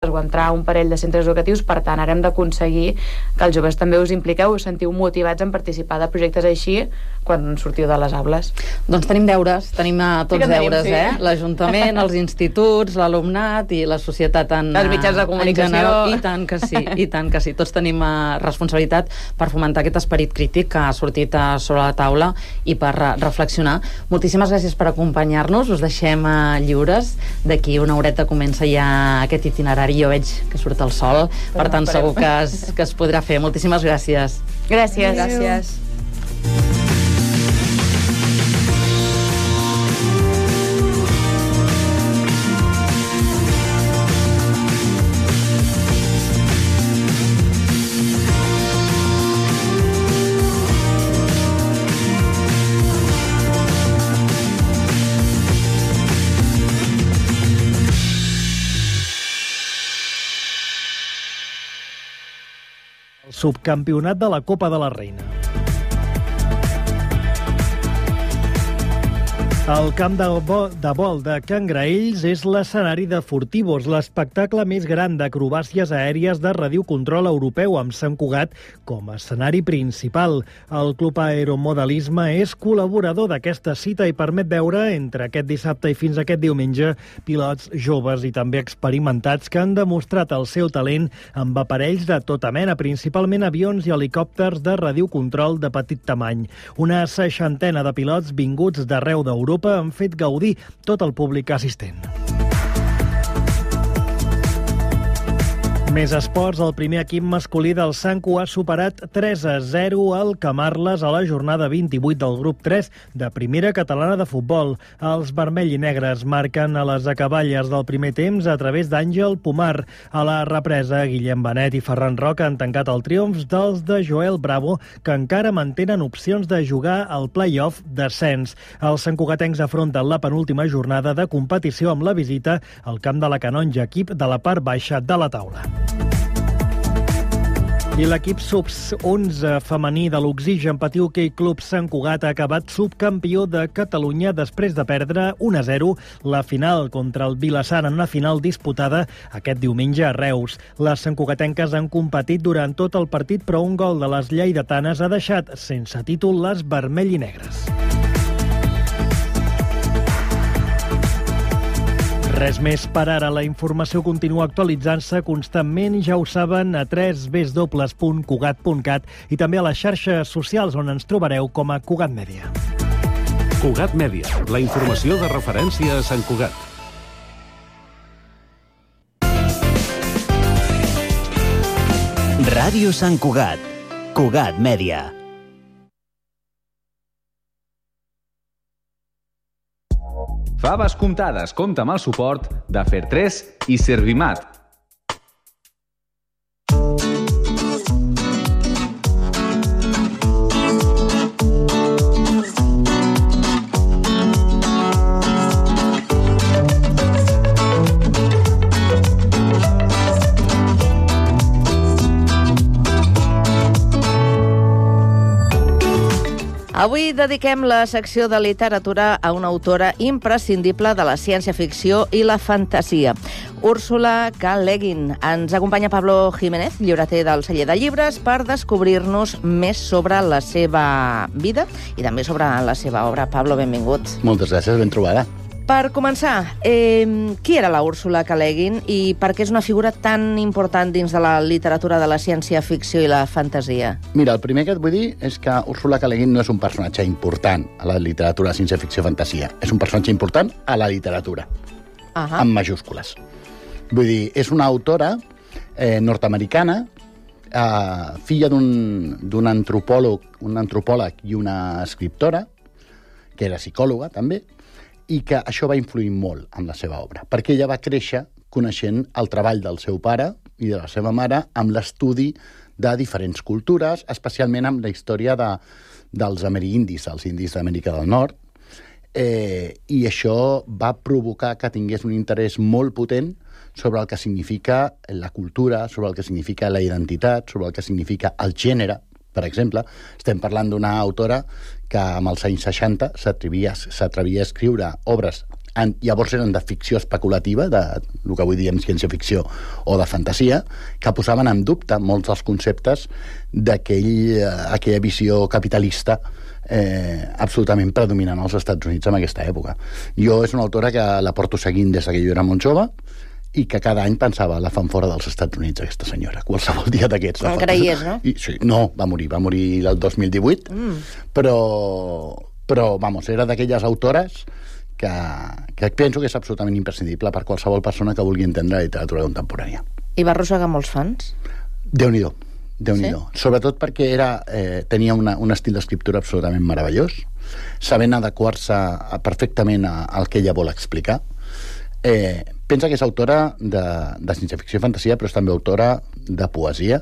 o entrar a un parell de centres educatius. Per tant, ara hem d'aconseguir que els joves també us impliqueu, us sentiu motivats en participar de projectes així quan sortiu de les aules. Doncs tenim deures, tenim tots deures, sí. L'Ajuntament, els instituts, l'alumnat i la societat els mitjans de comunicació. I tant que sí. Tots tenim responsabilitat per fomentar aquest esperit crític que ha sortit sobre la taula i per reflexionar. Moltíssimes gràcies per acompanyar-nos. Us deixem lliures. D'aquí una horeta comença ja aquest itinerari. Jo veig que surt el sol, per tant segur que es podrà fer. Moltíssimes gràcies. Gràcies. Subcampionat de la Copa de la Reina. El camp de vol de Can Graells és l'escenari de Furtivos, l'espectacle més gran d'acrobàcies aèries de radiocontrol europeu, amb Sant Cugat com a escenari principal. El Club Aeromodelisme és col·laborador d'aquesta cita i permet veure, entre aquest dissabte i fins aquest diumenge, pilots joves i també experimentats que han demostrat el seu talent amb aparells de tota mena, principalment avions i helicòpters de radiocontrol de petit tamany. Una 60ena de pilots vinguts d'arreu d'Europa han fet gaudir tot el públic assistent. Més esports, el primer equip masculí del Sanco ha superat 3-0 al Camarles a la jornada 28 del grup 3 de Primera Catalana de Futbol. Els vermell i negres marquen a les acaballes del primer temps a través d'Àngel Pomar. A la represa, Guillem Benet i Ferran Roca han tancat el triomf dels de Joel Bravo, que encara mantenen opcions de jugar al play-off d'ascens. Els santcugatencs afronten la penúltima jornada de competició amb la visita al camp de la Canonja, equip de la part baixa de la taula. I l'equip sub-11 femení de l'Oxigen Patí Hoquei Club Sant Cugat ha acabat subcampió de Catalunya després de perdre 1-0 la final contra el Vilassar en una final disputada aquest diumenge a Reus. Les santcugatenques han competit durant tot el partit, però un gol de les lleidatanes ha deixat sense títol les vermell i negres. Res més per ara. La informació continua actualitzant-se constantment, ja ho saben, a www.cugat.cat i també a les xarxes socials on ens trobareu com a Cugat Mèdia. Cugat Mèdia, la informació de referència a Sant Cugat. Ràdio Sant Cugat. Cugat Mèdia. Faves comptades compta amb el suport de Fer3 i Servimat. Avui dediquem la secció de literatura a una autora imprescindible de la ciència-ficció i la fantasia, Úrsula K. Le Guin. Ens acompanya Pablo Jiménez, llibreter del Celler de Llibres, per descobrir-nos més sobre la seva vida i també sobre la seva obra. Pablo, benvingut. Moltes gràcies, ben trobada. Per començar, qui era la Úrsula K. Le Guin i per què és una figura tan important dins de la literatura de la ciència-ficció i la fantasia? Mira, el primer que et vull dir és que Úrsula K. Le Guin no és un personatge important a la literatura de ciència-ficció i fantasia. És un personatge important a la literatura, amb majúscules. Vull dir, és una autora nord-americana, filla d'un antropòleg i una escriptora, que era psicòloga també, i que això va influir molt en la seva obra, perquè ella va créixer coneixent el treball del seu pare i de la seva mare amb l'estudi de diferents cultures, especialment amb la història dels amerindis, els indis d'Amèrica del Nord, i això va provocar que tingués un interès molt potent sobre el que significa la cultura, sobre el que significa la identitat, sobre el que significa el gènere. Per exemple, estem parlant d'una autora que amb els anys 60 s'atrevia a escriure obres llavors eren de ficció especulativa, de el que avui diem ciència-ficció o de fantasia, que posaven en dubte molts dels conceptes d'aquella visió capitalista absolutament predominant als Estats Units en aquesta època. Jo és una autora que la porto seguint des que jo era molt jove i que cada any pensava, la fan fora dels Estats Units, aquesta senyora, qualsevol dia d'aquests. Creies, no? Sí, no, va morir el 2018, però vamos, era d'aquelles autores que penso que és absolutament imprescindible per qualsevol persona que vulgui entendre la literatura contemporània. I va arrossegar molts fans? Déu-n'hi-do. Sobretot perquè tenia un estil d'escriptura absolutament meravellós, sabent adequar-se perfectament al que ella vol explicar. Pensa que és autora de ciència-ficció i fantasia, però és també autora de poesia,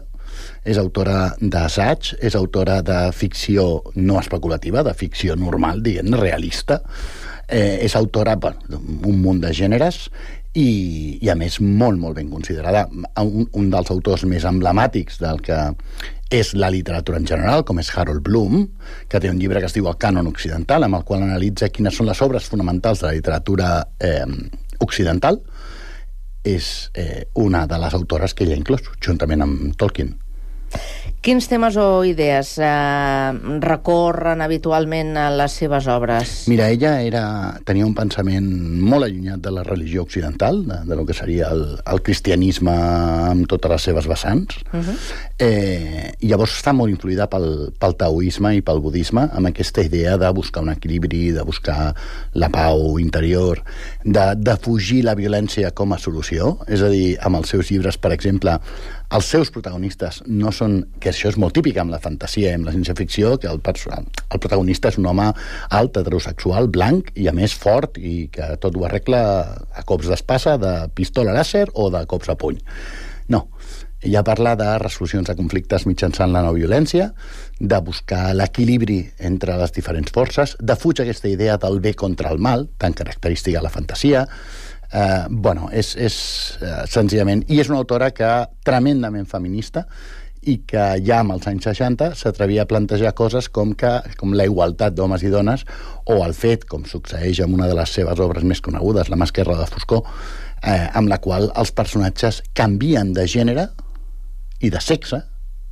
és autora d'assaig, és autora de ficció no especulativa, de ficció normal, diguem-ne, realista, és autora d'un munt de gèneres i a més molt, molt ben considerada. Un dels autors més emblemàtics del que és la literatura en general, com és Harold Bloom, que té un llibre que es diu El cànon occidental, amb el qual analitza quines són les obres fonamentals de la literatura occidental, és una de les autores que ella ha inclòs, juntament amb Tolkien. Quins temes o idees recorren habitualment a les seves obres? Mira, ella tenia un pensament molt allunyat de la religió occidental, de lo que seria el cristianisme amb totes les seves vessants. I llavors està molt influïda pel taoisme i pel budisme, amb aquesta idea de buscar un equilibri, de buscar la pau interior, de fugir la violència com a solució. És a dir, amb els seus llibres, per exemple, els seus protagonistes no són, que això és molt típic amb la fantasia i amb la ciència-ficció, que el protagonista és un home alt, heterosexual, blanc i a més fort i que tot ho arregla a cops d'espasa, de pistola làser o de cops a puny. No, ella parla de resolucions de conflictes mitjançant la no violència, de buscar l'equilibri entre les diferents forces, de fugir aquesta idea del bé contra el mal, tan característica de la fantasia. És senzillament, i és una autora que tremendament feminista i que ja amb els anys 60 s'atrevia a plantejar coses com la igualtat d'homes i dones, o el fet, com succeeix amb una de les seves obres més conegudes, La mà esquerra de Foscor, amb la qual els personatges canvien de gènere i de sexe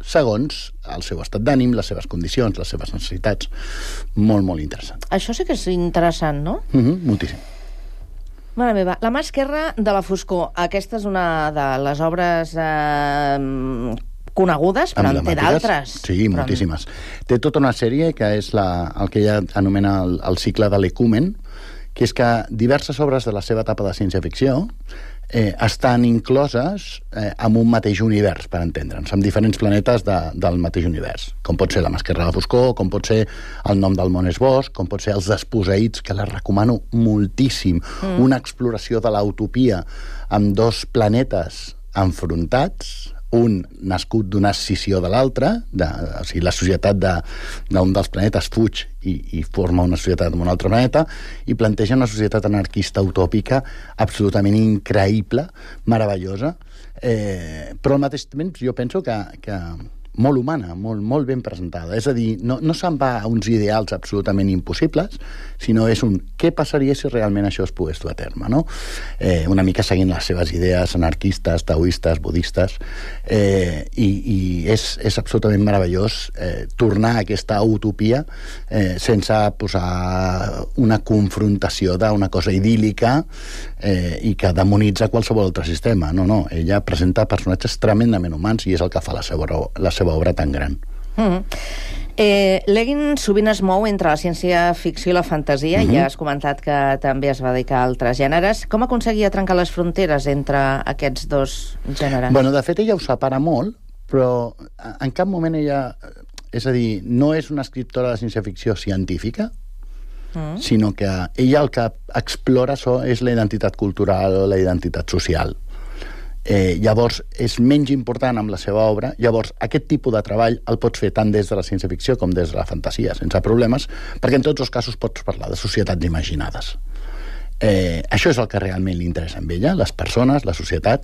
segons el seu estat d'ànim, les seves condicions, les seves necessitats. Molt, molt interessant. Això sí que és interessant, no? Moltíssim. Mare meva, La mà esquerra de la Foscor. Aquesta és una de les obres conegudes, però en té d'altres. Sí, moltíssimes. Té tota una sèrie que és el que ella anomena el cicle de l'Ecumen, que és que diverses obres de la seva etapa de ciència-ficció estan incloses en un mateix univers, per entendre'ns, amb diferents planetes del mateix univers, com pot ser La mà esquerra de la Foscor, com pot ser El nom del món és bosc, com pot ser Els desposseïts, que la recomano moltíssim, una exploració de l'utopia amb dos planetes enfrontats, un nascut d'una escissió de l'altre, o sigui, la societat d'un dels planetes fuig i forma una societat en un altre planeta, i planteja una societat anarquista utòpica absolutament increïble, meravellosa, però al mateix temps jo penso que molt humana, molt ben presentada. És a dir, no se'n va a uns ideals absolutament impossibles, sinó és què passaria si realment això es pogués dur a terme, no? Una mica seguint les seves idees anarquistes, taoistes, budistes, i és absolutament meravellós tornar a aquesta utopia sense posar una confrontació d'una cosa idíl·lica i que demonitza qualsevol altre sistema. No, ella presenta personatges tremendament humans i és el que fa la seva obra tan gran. Leguin sovint es mou entre la ciència-ficció i la fantasia, ja has comentat que també es va dedicar a altres gèneres. Com aconseguia trencar les fronteres entre aquests dos gèneres? De fet, ella ho separa molt, però en cap moment ella... És a dir, no és una escriptora de ciència-ficció científica, sinó que ella el que explora és la identitat cultural o la identitat social. Llavors és menys important amb la seva obra. Llavors aquest tipus de treball el pots fer tant des de la ciència-ficció com des de la fantasia, sense problemes, perquè en tots els casos pots parlar de societats imaginades. Això és el que realment li interessa a ella, les persones, la societat.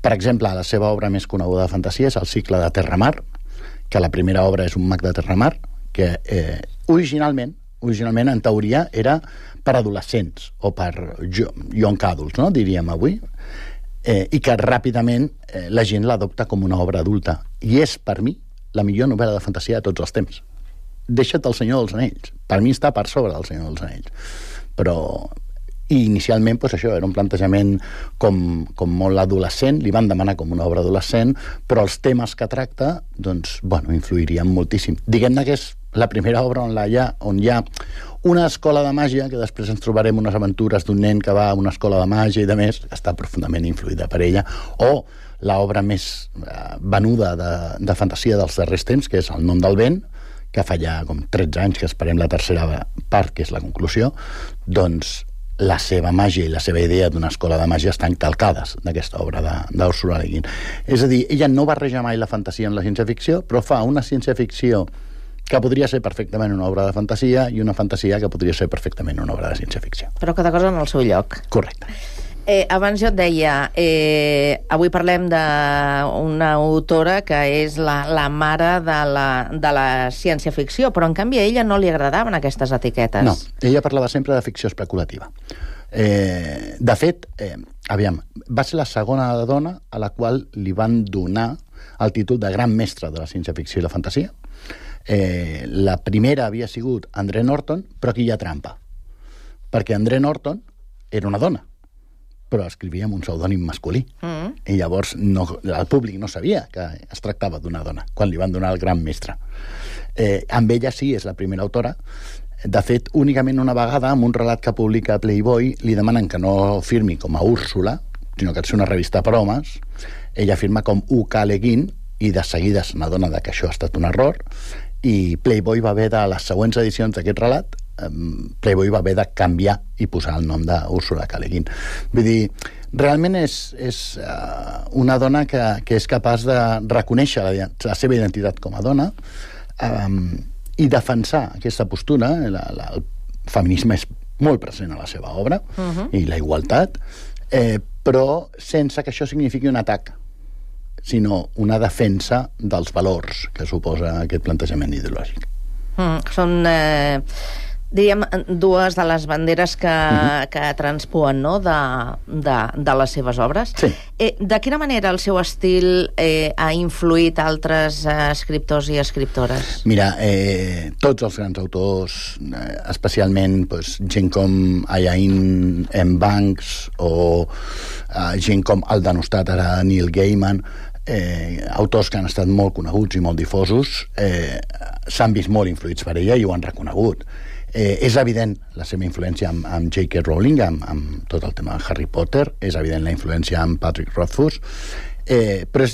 Per exemple, la seva obra més coneguda de fantasia és el cicle de Terramar, que la primera obra és un mag de Terramar, que originalment, en teoria, era per adolescents o per young adults, no? Diríem avui, i que ràpidament la gent l'adopta com una obra adulta. I és, per mi, la millor novel·la de fantasia de tots els temps. Deixa't el Senyor dels Anells. Per mi està per sobre del Senyor dels Anells. Però... I inicialment, doncs això, era un plantejament com molt adolescent, li van demanar com una obra adolescent, però els temes que tracta, doncs, bueno, influirien moltíssim. Diguem-ne que és la primera obra on hi ha una escola de màgia, que després ens trobarem unes aventures d'un nen que va a una escola de màgia i de més, que està profundament influïda per ella, o l'obra més venuda de fantasia dels darrers temps, que és El nom del vent, que fa ja com 13 anys que esperem la tercera part, que és la conclusió, doncs la seva màgia i la seva idea d'una escola de màgia estan calcades d'aquesta obra d'Úrsula Le Guin. És a dir, ella no barreja mai la fantasia amb la ciència-ficció, però fa una ciència-ficció que podria ser perfectament una obra de fantasia i una fantasia que podria ser perfectament una obra de ciència-ficció. Però cada cosa en el seu lloc. Correcte. Abans jo et deia, avui parlem d'una autora que és la mare de la ciència-ficció, però en canvi a ella no li agradaven aquestes etiquetes. No, ella parlava sempre de ficció especulativa. De fet, va ser la segona dona a la qual li van donar el títol de gran mestra de la ciència-ficció i la fantasia. La primera havia sigut André Norton, però aquí hi ha trampa, perquè André Norton era una dona, però escrivia amb un pseudònim masculí. I llavors el públic no sabia que es tractava d'una dona, quan li van donar el gran mestre. Amb ella sí, és la primera autora. De fet, únicament una vegada, amb un relat que publica Playboy, li demanen que no firmi com a Úrsula, sinó que és una revista per homes. Ella firma com U.K. Le Guin, i de seguida se n'adona que això ha estat un error, i Playboy va haver de les següents edicions d'aquest relat, Playboy va haver de canviar i posar el nom d'Úrsula K. Le Guin. Vull dir, realment és una dona que és capaç de reconèixer la seva identitat com a dona i defensar aquesta postura. El feminisme és molt present a la seva obra, i la igualtat, però sense que això signifiqui un atac, sinó una defensa dels valors que suposa aquest plantejament ideològic. Són, diríem, dues de les banderes que transpuen, no?, de les seves obres. Sí. De quina manera el seu estil ha influït altres escriptors i escriptores? Mira, tots els grans autors, especialment gent com Iain M. Banks o gent com el denostat ara Neil Gaiman, autors que han estat molt coneguts i molt difosos, s'han vist molt influïts per ella i ho han reconegut. És evident la seva influència amb J.K. Rowling, amb tot el tema de Harry Potter, és evident la influència amb Patrick Rothfuss, però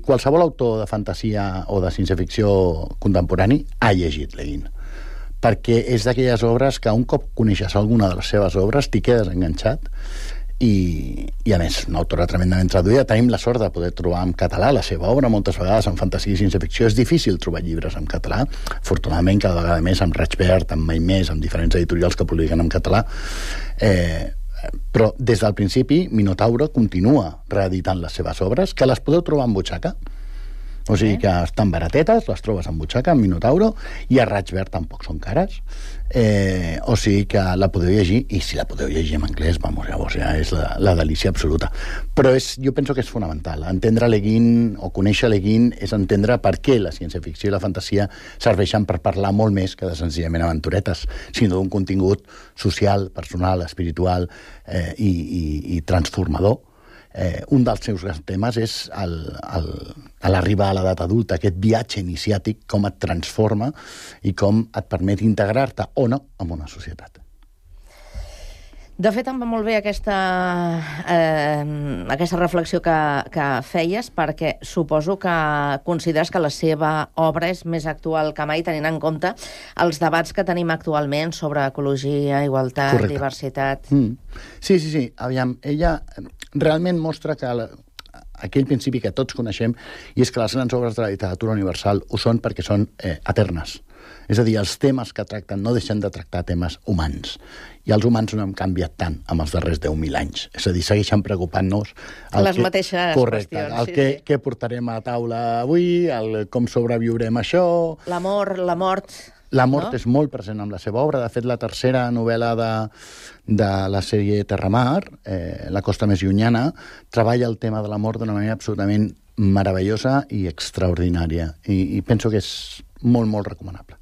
qualsevol autor de fantasia o de ciència-ficció contemporani ha llegit Le Guin, perquè és d'aquelles obres que un cop coneixes alguna de les seves obres t'hi quedes enganxat. I a més, una autora tremendament traduïda. Tenim la sort de poder trobar en català la seva obra. Moltes vegades en fantasia i ciència-ficció és difícil trobar llibres en català. Afortunadament, cada vegada més amb Raig Verd, amb Mai Més, amb diferents editorials que publiquen en català. Però des del principi Minotauro continua reeditant les seves obres, que les podeu trobar en butxaca. O sigui que estan baratetes, les trobes en butxaca, en Minotauro, i a Raig Verd tampoc són cares. O sigui que la podeu llegir, i si la podeu llegir en anglès, llavors ja és la delícia absoluta. Però jo penso que és fonamental. Entendre Le Guin o conèixer Le Guin és entendre per què la ciència-ficció i la fantasia serveixen per parlar molt més que de senzillament aventuretes, sinó d'un contingut social, personal, espiritual i transformador. Un dels seus grans temes és l'arribar a l'edat adulta, aquest viatge iniciàtic, com et transforma i com et permet integrar-te o no en una societat. De fet, em va molt bé aquesta reflexió que feies, perquè suposo que consideres que la seva obra és més actual que mai, tenint en compte els debats que tenim actualment sobre ecologia, igualtat, correcte, diversitat. Sí. Aviam, ella realment mostra que aquell principi que tots coneixem, i és que les grans obres de la literatura universal ho són perquè són eternes. És a dir, els temes que tracten no deixen de tractar temes humans. I els humans no hem canviat tant amb els darrers 10.000 anys. És a dir, segueixen preocupant-nos... Les mateixes qüestions. Què portarem a taula avui, com sobreviurem això... L'amor, la mort... La mort és molt present en la seva obra. De fet, la tercera novel·la de la sèrie Terramar, La costa més llunyana, treballa el tema de la mort d'una manera absolutament meravellosa i extraordinària. I penso que és molt, molt recomanable.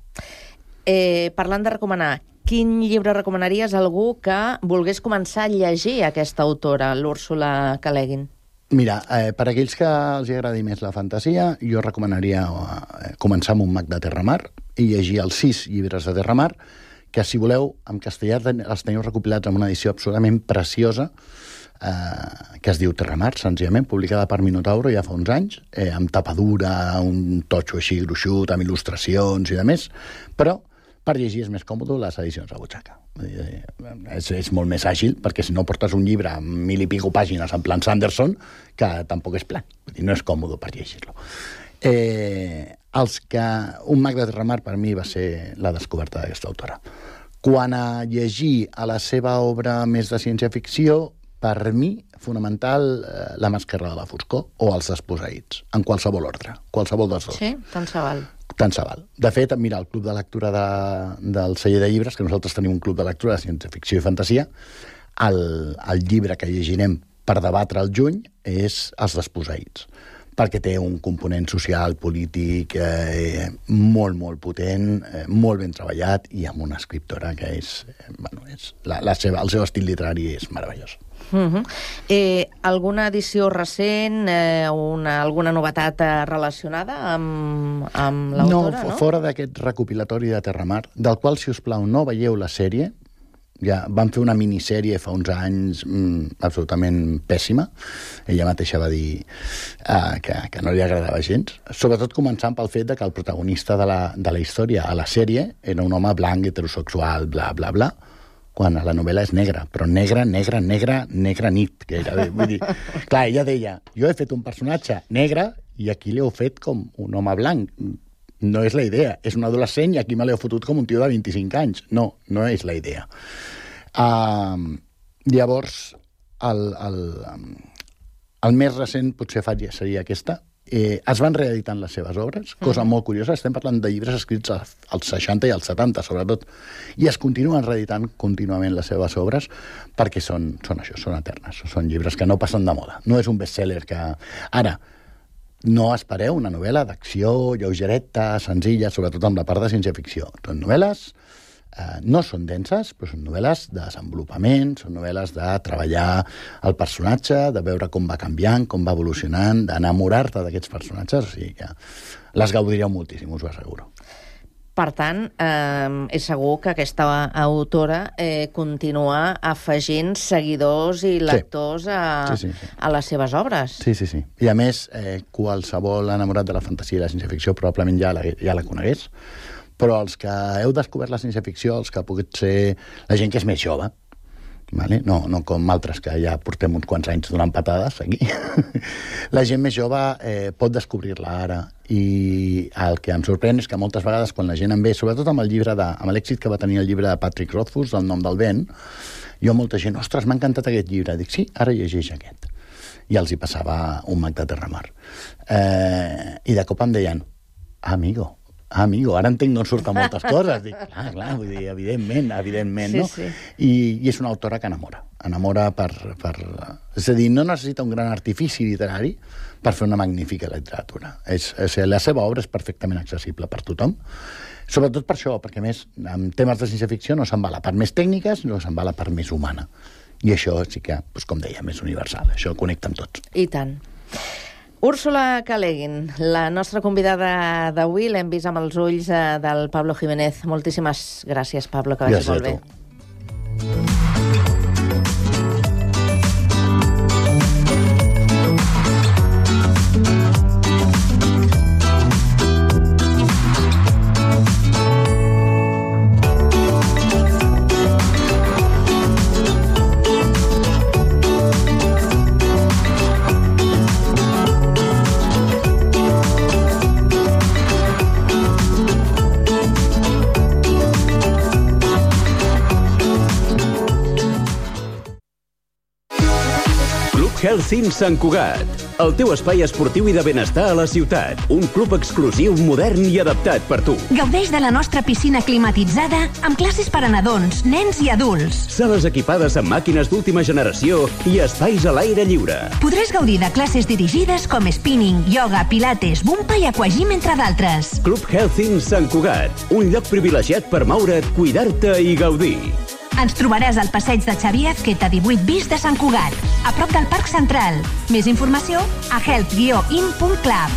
Parlant de recomanar, quin llibre recomanaries a algú que volgués començar a llegir aquesta autora, l'Úrsula K. Le Guin? Mira, per aquells que els agradi més la fantasia, jo recomanaria començar amb un mag de Terramar i llegir els 6 llibres de Terramar, que, si voleu, en castellà els teniu recopilats en una edició absolutament preciosa, que es diu Terramar, senzillament, publicada per Minotauro ja fa uns anys, amb tapadura, un totxo així gruixut, amb il·lustracions i de més, però per llegir és més còmode les edicions a butxaca. És molt més àgil, perquè si no portes un llibre amb 1.000 i pico pàgines en plan Sanderson, que tampoc és plan. No és còmode per llegir-lo. Un mag de Terramar per mi va ser la descoberta d'aquesta autora. Quant a llegir a la seva obra més de ciència-ficció, per mi, fonamental, La màscara de la foscor o Els desposseïts, en qualsevol ordre, qualsevol dels dos. Sí, tant se val. Tant se val. De fet, mira, el club de lectura del celler de llibres, que nosaltres tenim un club de lectura de ciència-ficció i fantasia, el llibre que llegirem per debatre al juny és Els desposseïts, perquè té un component social, polític, molt, molt potent, molt ben treballat, i amb una escriptora que és... el seu estil literari és meravellós. Alguna edició recent, alguna novetat relacionada amb l'autora, no? Fora d'aquest recopilatori de Terramar, del qual, si us plau, no veieu la sèrie. Ja van fer una minissèrie fa uns anys absolutament pèssima. Ella mateixa va dir que no li agradava gens. Sobretot començant pel fet que el protagonista de la història a la sèrie era un home blanc, heterosexual, bla, bla, bla, quan a la novel·la és negra, però negra nit, gairebé. Vull dir, clar, ella deia, jo he fet un personatge negre i aquí l'heu fet com un home blanc. No és la idea. És un adolescent i aquí me l'heu fotut com un tio de 25 anys. No és la idea. Llavors, el més recent potser seria aquesta. Es van reeditant les seves obres, cosa molt curiosa. Estem parlant de llibres escrits als 60 i als 70, sobretot, i es continuen reeditant contínuament les seves obres perquè són això, són eternes. Són llibres que no passen de moda. No és un bestseller que... Ara, no espereu una novel·la d'acció, lleugereta, senzilla, sobretot amb la part de ciència-ficció. Són novel·les, no són denses, però són novel·les de desenvolupament, són novel·les de treballar el personatge, de veure com va canviant, com va evolucionant, d'enamorar-te d'aquests personatges, o sigui que les gaudireu moltíssim, us ho asseguro. Per tant, és segur que aquesta autora continua afegint seguidors i lectors a les seves obres. Sí. I a més, qualsevol enamorat de la fantasia i la ciència-ficció probablement ja la conegués, però els que heu descobert la ciència-ficció, els que pogut ser la gent que és més jove, vale? No com altres que ja portem uns quants anys donant patades aquí. La gent més jove pot descobrir-la ara, i el que em sorprèn és que moltes vegades quan la gent em ve, sobretot amb l'èxit que va tenir el llibre de Patrick Rothfuss, El nom del vent, jo molta gent, ostres, m'ha encantat aquest llibre. Dic, sí, ara llegeix aquest. I els hi passava un mag de Terramar. I de cop em deien, amigo, ara entenc d'on surten moltes coses. Dic, clar, vull dir, evidentment, no? Sí. I és una autora que enamora per... És a dir, no necessita un gran artifici literari per fer una magnífica literatura. La seva obra és perfectament accessible per tothom, sobretot per això, perquè més en temes de ciència-ficció no se'n va la part més tècnica, sinó se'n va la part més humana. I això sí que, com deia, és universal. Això connecta amb tots. I tant. Úrsula K. Le Guin, la nostra convidada d'avui, l'hem vist amb els ulls del Pablo Jiménez. Moltíssimes gràcies, Pablo, que vagi molt bé. Helsinki Sant Cugat, el teu espai esportiu i de benestar a la ciutat. Un club exclusiu, modern i adaptat per tu. Gaudeix de la nostra piscina climatitzada amb classes per a nadons, nens i adults. Sales equipades amb màquines d'última generació i espais a l'aire lliure. Podràs gaudir de classes dirigides com spinning, yoga, pilates, bumpa i aquagym, entre d'altres. Club Helsinki Sant Cugat, un lloc privilegiat per moure't, cuidar-te i gaudir. Ens trobaràs al passeig de Xavier Azqueta 18 bis de Sant Cugat, a prop del Parc Central. Més informació a health-in.club.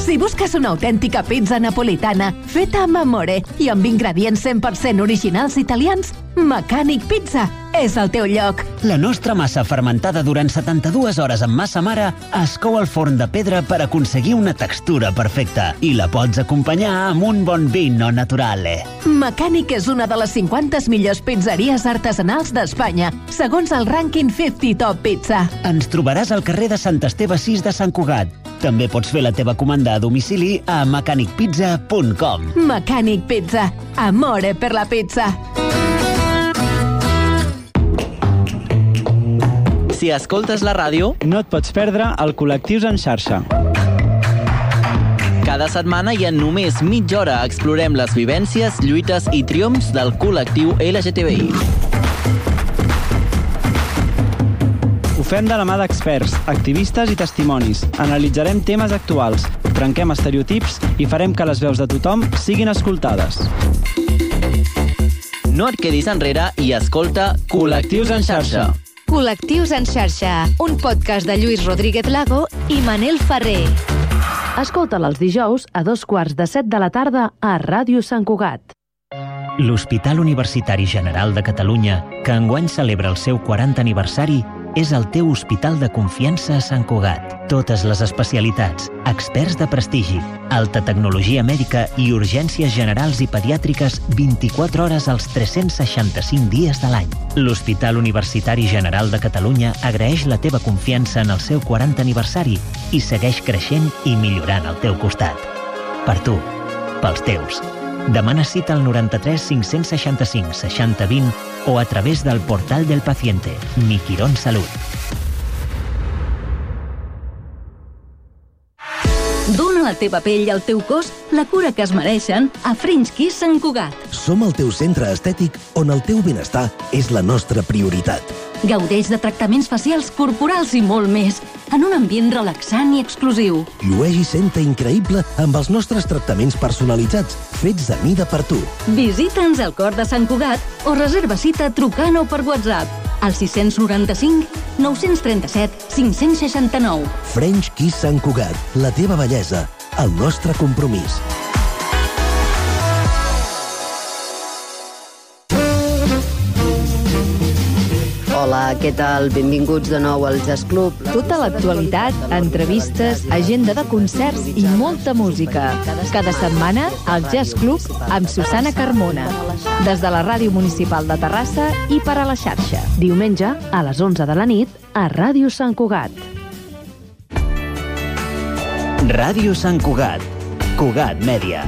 Si busques una autèntica pizza napolitana feta amb amore i amb ingredients 100% originals italians, Mecànic Pizza és el teu lloc. La nostra massa fermentada durant 72 hores amb massa mare es cou al forn de pedra per aconseguir una textura perfecta i la pots acompanyar amb un bon vino naturale. Mecànic és una de les 50 millors pizzeries artesanals d'Espanya, segons el rànquing 50 Top Pizza. Ens trobaràs al carrer de Sant Esteve 6 de Sant Cugat. També pots fer la teva comanda a domicili a mecanicpizza.com. Mecànic Pizza. Amore per la pizza. Si escoltes la ràdio, no et pots perdre el Col·lectius en xarxa. Cada setmana i en només mitja hora explorem les vivències, lluites i triomfs del col·lectiu LGTBI. Ho fem de la mà d'experts, activistes i testimonis. Analitzarem temes actuals, trenquem estereotips i farem que les veus de tothom siguin escoltades. No et quedis enrere i escolta Col·lectius en xarxa. Col·lectius en xarxa, un podcast de Lluís Rodríguez Lago i Manel Ferrer. Escolta'l els dijous a 2:15 de la tarda a Ràdio Sant Cugat. L'Hospital Universitari General de Catalunya, que enguany celebra el seu 40 aniversari, és el teu hospital de confiança a Sant Cugat. Totes les especialitats, experts de prestigi, alta tecnologia mèdica i urgències generals i pediàtriques 24 hores als 365 dies de l'any. L'Hospital Universitari General de Catalunya agraeix la teva confiança en el seu 40 aniversari i segueix creixent i millorant al teu costat. Per tu, pels teus. Demana cita al 93 565 60 20 o a través del portal del paciente, Mi Quirón Salut. Dóna a la teva pell i al teu cos la cura que es mereixen a French Kiss Sant Cugat. Som el teu centre estètic on el teu benestar és la nostra prioritat. Gaudeix de tractaments facials, corporals i molt més, en un ambient relaxant i exclusiu. Llueix i senta increïble amb els nostres tractaments personalitzats, fets a mida per tu. Visita'ns al cor de Sant Cugat o reserva cita trucant o per WhatsApp al 695 937 569. French Kiss Sant Cugat, la teva bellesa, el nostre compromís. Hola, què tal? Benvinguts de nou al Jazz Club. Tota l'actualitat, entrevistes, agenda de concerts i molta música. Cada setmana, al Jazz Club amb Susana Carmona. Des de la Ràdio Municipal de Terrassa i per a la xarxa. Diumenge, a les 11 de la nit, a Ràdio Sant Cugat. Ràdio Sant Cugat. Cugat Mèdia.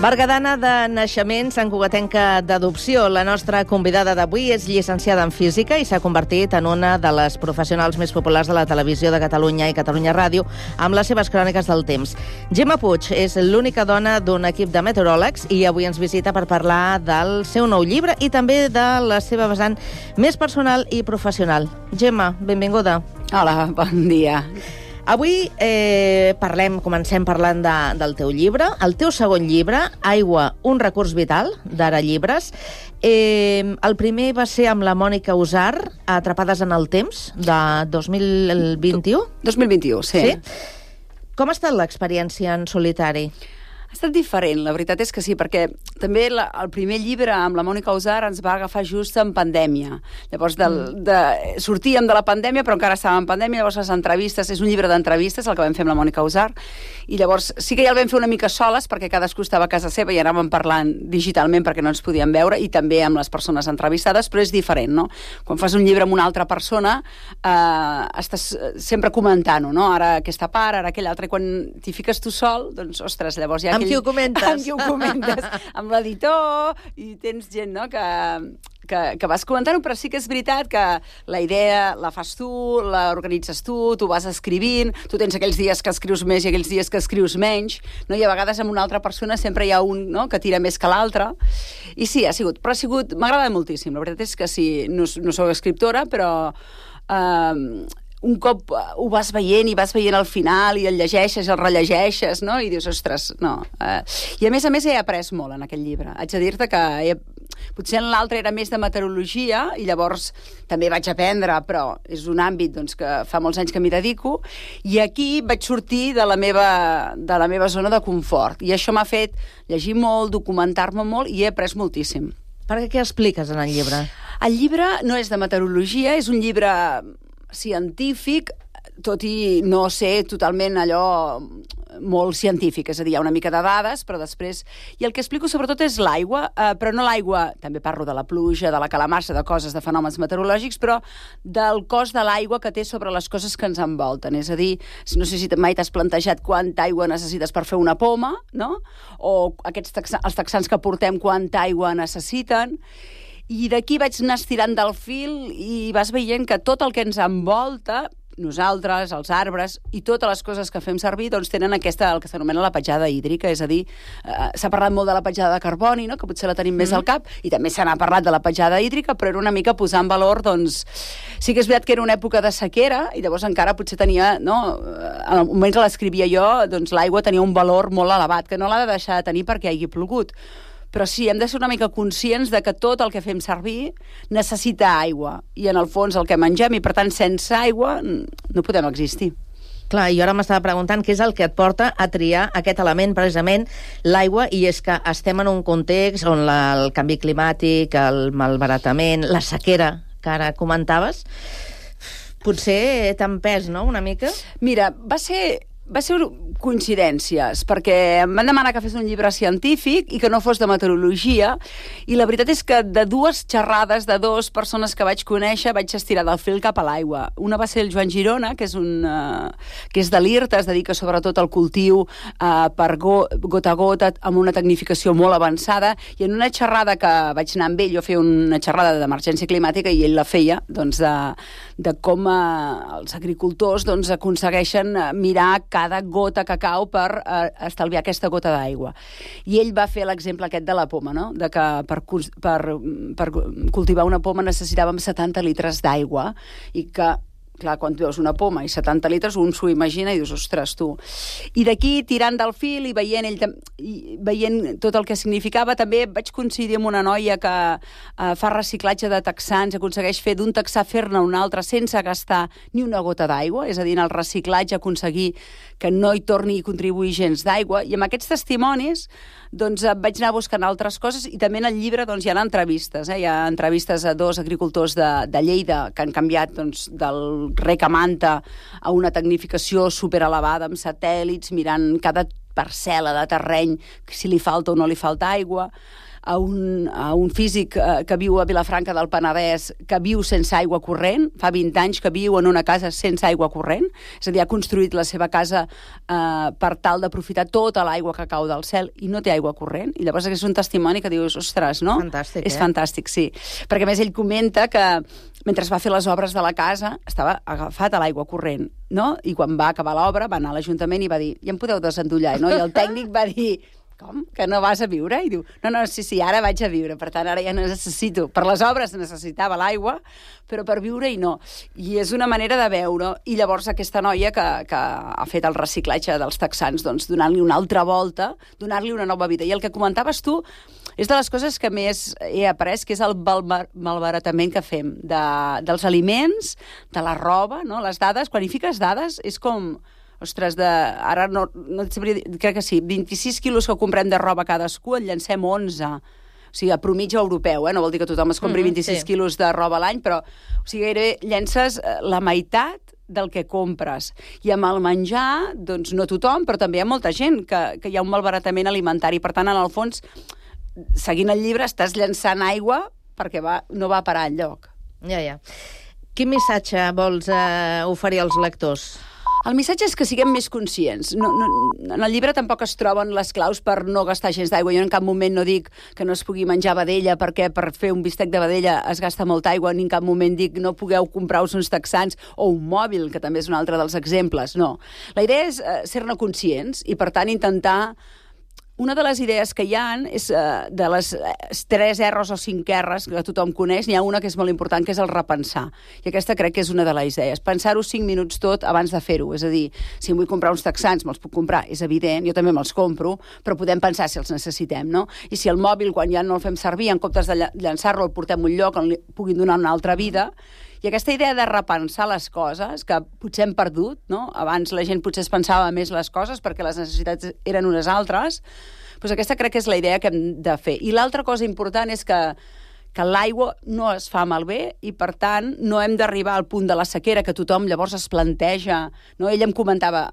Bergadana de naixement, santcugatenca d'adopció. La nostra convidada d'avui és llicenciada en Física i s'ha convertit en una de les professionals més populars de la televisió de Catalunya i Catalunya Ràdio amb les seves cròniques del temps. Gemma Puig és l'única dona d'un equip de meteoròlegs i avui ens visita per parlar del seu nou llibre i també de la seva vessant més personal i professional. Gemma, benvinguda. Hola, bon dia. Avui comencem parlant del teu llibre, el teu segon llibre, Aigua, un recurs vital, d'Ara Llibres. El primer va ser amb la Mònica Usar, Atrapades en el temps, de 2021? 2021, sí. Com ha estat l'experiència en solitari? Ha estat diferent, la veritat és que sí, perquè també el primer llibre amb la Mònica Usar ens va agafar just en pandèmia. Llavors, sortíem de la pandèmia, però encara estàvem en pandèmia, llavors les entrevistes, és un llibre d'entrevistes, el que vam fer amb la Mònica Usar, i llavors sí que ja el vam fer una mica soles, perquè cadascú estava a casa seva i anàvem parlant digitalment perquè no ens podíem veure, i també amb les persones entrevistades, però és diferent, no? Quan fas un llibre amb una altra persona, estàs sempre comentant-ho, no? Ara aquesta part, ara aquella altra, i quan t'hi fiques tu sol, doncs, ostres, llavors ja... Amb qui ho comentes? Amb qui ho comentes, amb l'editor, i tens gent, no?, que vas comentant-ho, però sí que és veritat que la idea la fas tu, l'organitzes tu vas escrivint, tu tens aquells dies que escrius més i aquells dies que escrius menys, no? I a vegades amb una altra persona sempre hi ha un, no?, que tira més que l'altre, i sí, m'ha agradat moltíssim, la veritat és que sí, no sóc escriptora, però un cop ho vas veient i vas veient al final i el llegeixes, el rellegeixes, no? I dius, ostres, no. I a més he après molt en aquest llibre. Haig de dir-te que potser en l'altre era més de meteorologia i llavors també vaig aprendre, però és un àmbit doncs, que fa molts anys que m'hi dedico, i aquí vaig sortir de la meva zona de confort. I això m'ha fet llegir molt, documentar-me molt, i he après moltíssim. Per què expliques en el llibre? El llibre no és de meteorologia, és un llibre científic, tot i no ser totalment allò molt científic, és a dir, hi ha una mica de dades, però després... I el que explico sobretot és l'aigua, però no l'aigua, també parlo de la pluja, de la calamarsa, de coses, de fenòmens meteorològics, però del cost de l'aigua que té sobre les coses que ens envolten. És a dir, no sé si mai t'has plantejat quanta aigua necessites per fer una poma, no? O els texans que portem quanta aigua necessiten. I d'aquí vaig anar estirant del fil i vas veient que tot el que ens envolta, nosaltres, els arbres i totes les coses que fem servir, doncs tenen el que s'anomena la petjada hídrica, és a dir, s'ha parlat molt de la petjada de carboni, no?, que potser la tenim més al cap, i també se n'ha parlat de la petjada hídrica, però era una mica posar en valor, doncs, sí que és veritat que era una època de sequera, i llavors encara potser tenia, no?, en el moment que l'escrivia jo, doncs l'aigua tenia un valor molt elevat, que no l'ha de deixar de tenir perquè hagi plogut. Però sí, hem de ser una mica conscients de que tot el que fem servir necessita aigua. I en el fons el que mengem, i per tant sense aigua no podem existir. Clar, i ara m'estava preguntant què és el que et porta a triar aquest element, precisament l'aigua, i és que estem en un context on el canvi climàtic, el malbaratament, la sequera que ara comentaves, potser t'han pes, no?, una mica? Mira, va ser coincidències, perquè em van demanar que fes un llibre científic i que no fos de meteorologia, i la veritat és que de dues xerrades de dues persones que vaig conèixer vaig estirar del fil cap a l'aigua. Una va ser el Joan Girona, que és de l'IRTA, es dedica sobretot al cultiu per gota a gota, amb una tecnificació molt avançada, i en una xerrada que vaig anar amb ell, jo feia una xerrada d'emergència climàtica i ell la feia, doncs, de com els agricultors doncs, aconsegueixen mirar cada gota que cau per estalviar aquesta gota d'aigua. I ell va fer l'exemple aquest de la poma, no?, de que per cultivar una poma necessitàvem 70 litres d'aigua, i que clar, quan veus una poma i 70 litres, un s'ho imagina i dius, ostres, tu. I d'aquí, tirant del fil i veient tot el que significava, també vaig coincidir amb una noia que fa reciclatge de texans, aconsegueix fer d'un texà fer-ne un altre sense gastar ni una gota d'aigua, és a dir, en el reciclatge aconseguir que no hi torni a contribuir gens d'aigua, i amb aquests testimonis doncs vaig anar buscant altres coses, i també en el llibre doncs, hi ha entrevistes, hi ha entrevistes a dos agricultors de Lleida que han canviat doncs, del rec a manta a una tecnificació superelevada amb satèl·lits, mirant cada parcel·la de terreny, si li falta o no li falta aigua, a un físic que viu a Vilafranca del Penedès, que viu sense aigua corrent, fa 20 anys que viu en una casa sense aigua corrent, és a dir, ha construït la seva casa per tal d'aprofitar tota l'aigua que cau del cel i no té aigua corrent, i llavors és un testimoni que dius, ostres, no? Fantàstic, és fantàstic, sí. Perquè a més ell comenta que mentre va fer les obres de la casa estava agafat a l'aigua corrent, no? I quan va acabar l'obra va anar a l'Ajuntament i va dir, ja em podeu desendollar, no? I el tècnic va dir, com? Que no vas a viure? I diu, no, sí, ara vaig a viure, per tant, ara ja no necessito. Per les obres necessitava l'aigua, però per viure i no. I és una manera de veure. I llavors aquesta noia que ha fet el reciclatge dels texans, doncs donant-li una altra volta, donar-li una nova vida. I el que comentaves tu és de les coses que més he après, que és el malbaratament que fem dels aliments, de la roba, no? Les dades, quan hi fiques dades, és com... ostres, ara no et sabria dir, crec que sí, 26 quilos que comprem de roba cadascú, en llancem 11. O sigui, a promitja europeu, no vol dir que tothom es compri 26 quilos de roba a l'any, però o sigui, gairebé llences la meitat del que compres. I amb el menjar, doncs no tothom, però també hi ha molta gent que hi ha un malbaratament alimentari. Per tant, en el fons, seguint el llibre, estàs llançant aigua perquè no va parar enlloc. Ja. Quin missatge vols oferir als lectors? El missatge és que siguem més conscients. En el llibre tampoc es troben les claus per no gastar gens d'aigua. Jo en cap moment no dic que no es pugui menjar vedella perquè per fer un bistec de vedella es gasta molta aigua, ni en cap moment dic no pugueu comprar-vos uns texans o un mòbil, que també és un altre dels exemples. No. La idea és ser-ne conscients i, per tant, intentar... Una de les idees que hi ha és de les 3 R's o 5 R's que tothom coneix, n'hi ha una que és molt important, que és el repensar. I aquesta crec que és una de les idees. Pensar-ho 5 minuts tot abans de fer-ho. És a dir, si em vull comprar uns texans, me'ls puc comprar, és evident, jo també me'ls compro, però podem pensar si els necessitem, no? I si el mòbil, quan ja no el fem servir, en comptes de llançar-lo, el portem a un lloc on li puguin donar una altra vida. I aquesta idea de repensar les coses, que potser hem perdut, no? Abans la gent potser es pensava més les coses perquè les necessitats eren unes altres, doncs aquesta crec que és la idea que hem de fer. I l'altra cosa important és que l'aigua no es fa malbé i, per tant, no hem d'arribar al punt de la sequera que tothom llavors es planteja. No? Ell em comentava,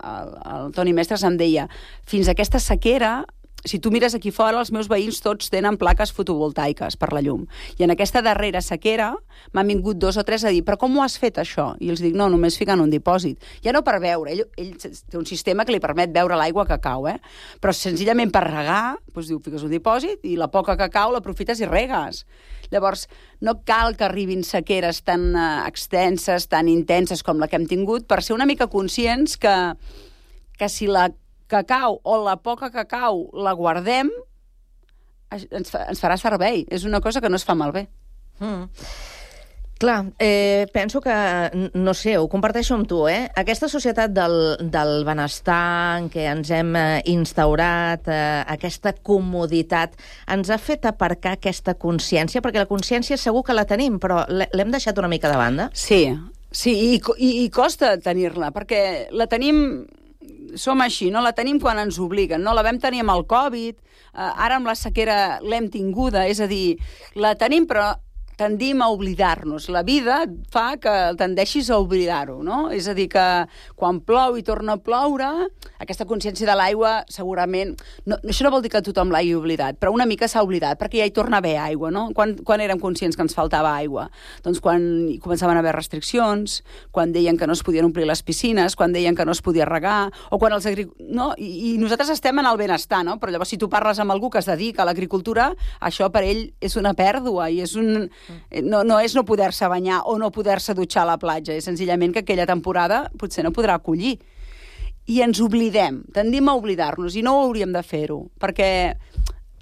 el Toni Mestres em deia, fins a aquesta sequera... Si tu mires aquí fora, els meus veïns tots tenen plaques fotovoltaiques per la llum. I en aquesta darrera sequera m'han vingut 2 o 3 a dir, però com ho has fet això? I els dic, no, només ficant un dipòsit. Ja no per beure, ell té un sistema que li permet beure l'aigua que cau, però senzillament per regar, doncs diu, fiques un dipòsit i la poca que cau l'aprofites i regues. Llavors, no cal que arribin sequeres tan extenses, tan intenses com la que hem tingut, per ser una mica conscients que si la cacau o la poca cacau la guardem, ens farà servei. És una cosa que no es fa malbé. Clar, penso que, no sé, ho comparteixo amb tu, aquesta societat del benestar en què ens hem instaurat, aquesta comoditat, ens ha fet aparcar aquesta consciència, perquè la consciència segur que la tenim, però l'hem deixat una mica de banda? Sí, i costa tenir-la, perquè la tenim... Som així, no la tenim quan ens obliguen, no la vam tenir amb el Covid, ara amb la sequera l'hem tinguda, és a dir, la tenim però tendim a oblidar-nos. La vida fa que tendeixis a oblidar-ho, no? És a dir, que quan plou i torna a ploure, aquesta consciència de l'aigua segurament... Això no vol dir que tothom l'hagi oblidat, però una mica s'ha oblidat, perquè ja hi torna a haver aigua, no? Quan érem conscients que ens faltava aigua? Doncs quan començaven a haver restriccions, quan deien que no es podien omplir les piscines, quan deien que no es podia regar, o quan els no? I nosaltres estem en el benestar, no? Però llavors si tu parles amb algú que es dedica a l'agricultura, això per ell és una pèrdua i és un... No és no poder-se banyar o no poder-se dutxar a la platja, és senzillament que aquella temporada potser no podrà acollir. I ens oblidem, tendim a oblidar-nos, i no ho hauríem de fer-ho, perquè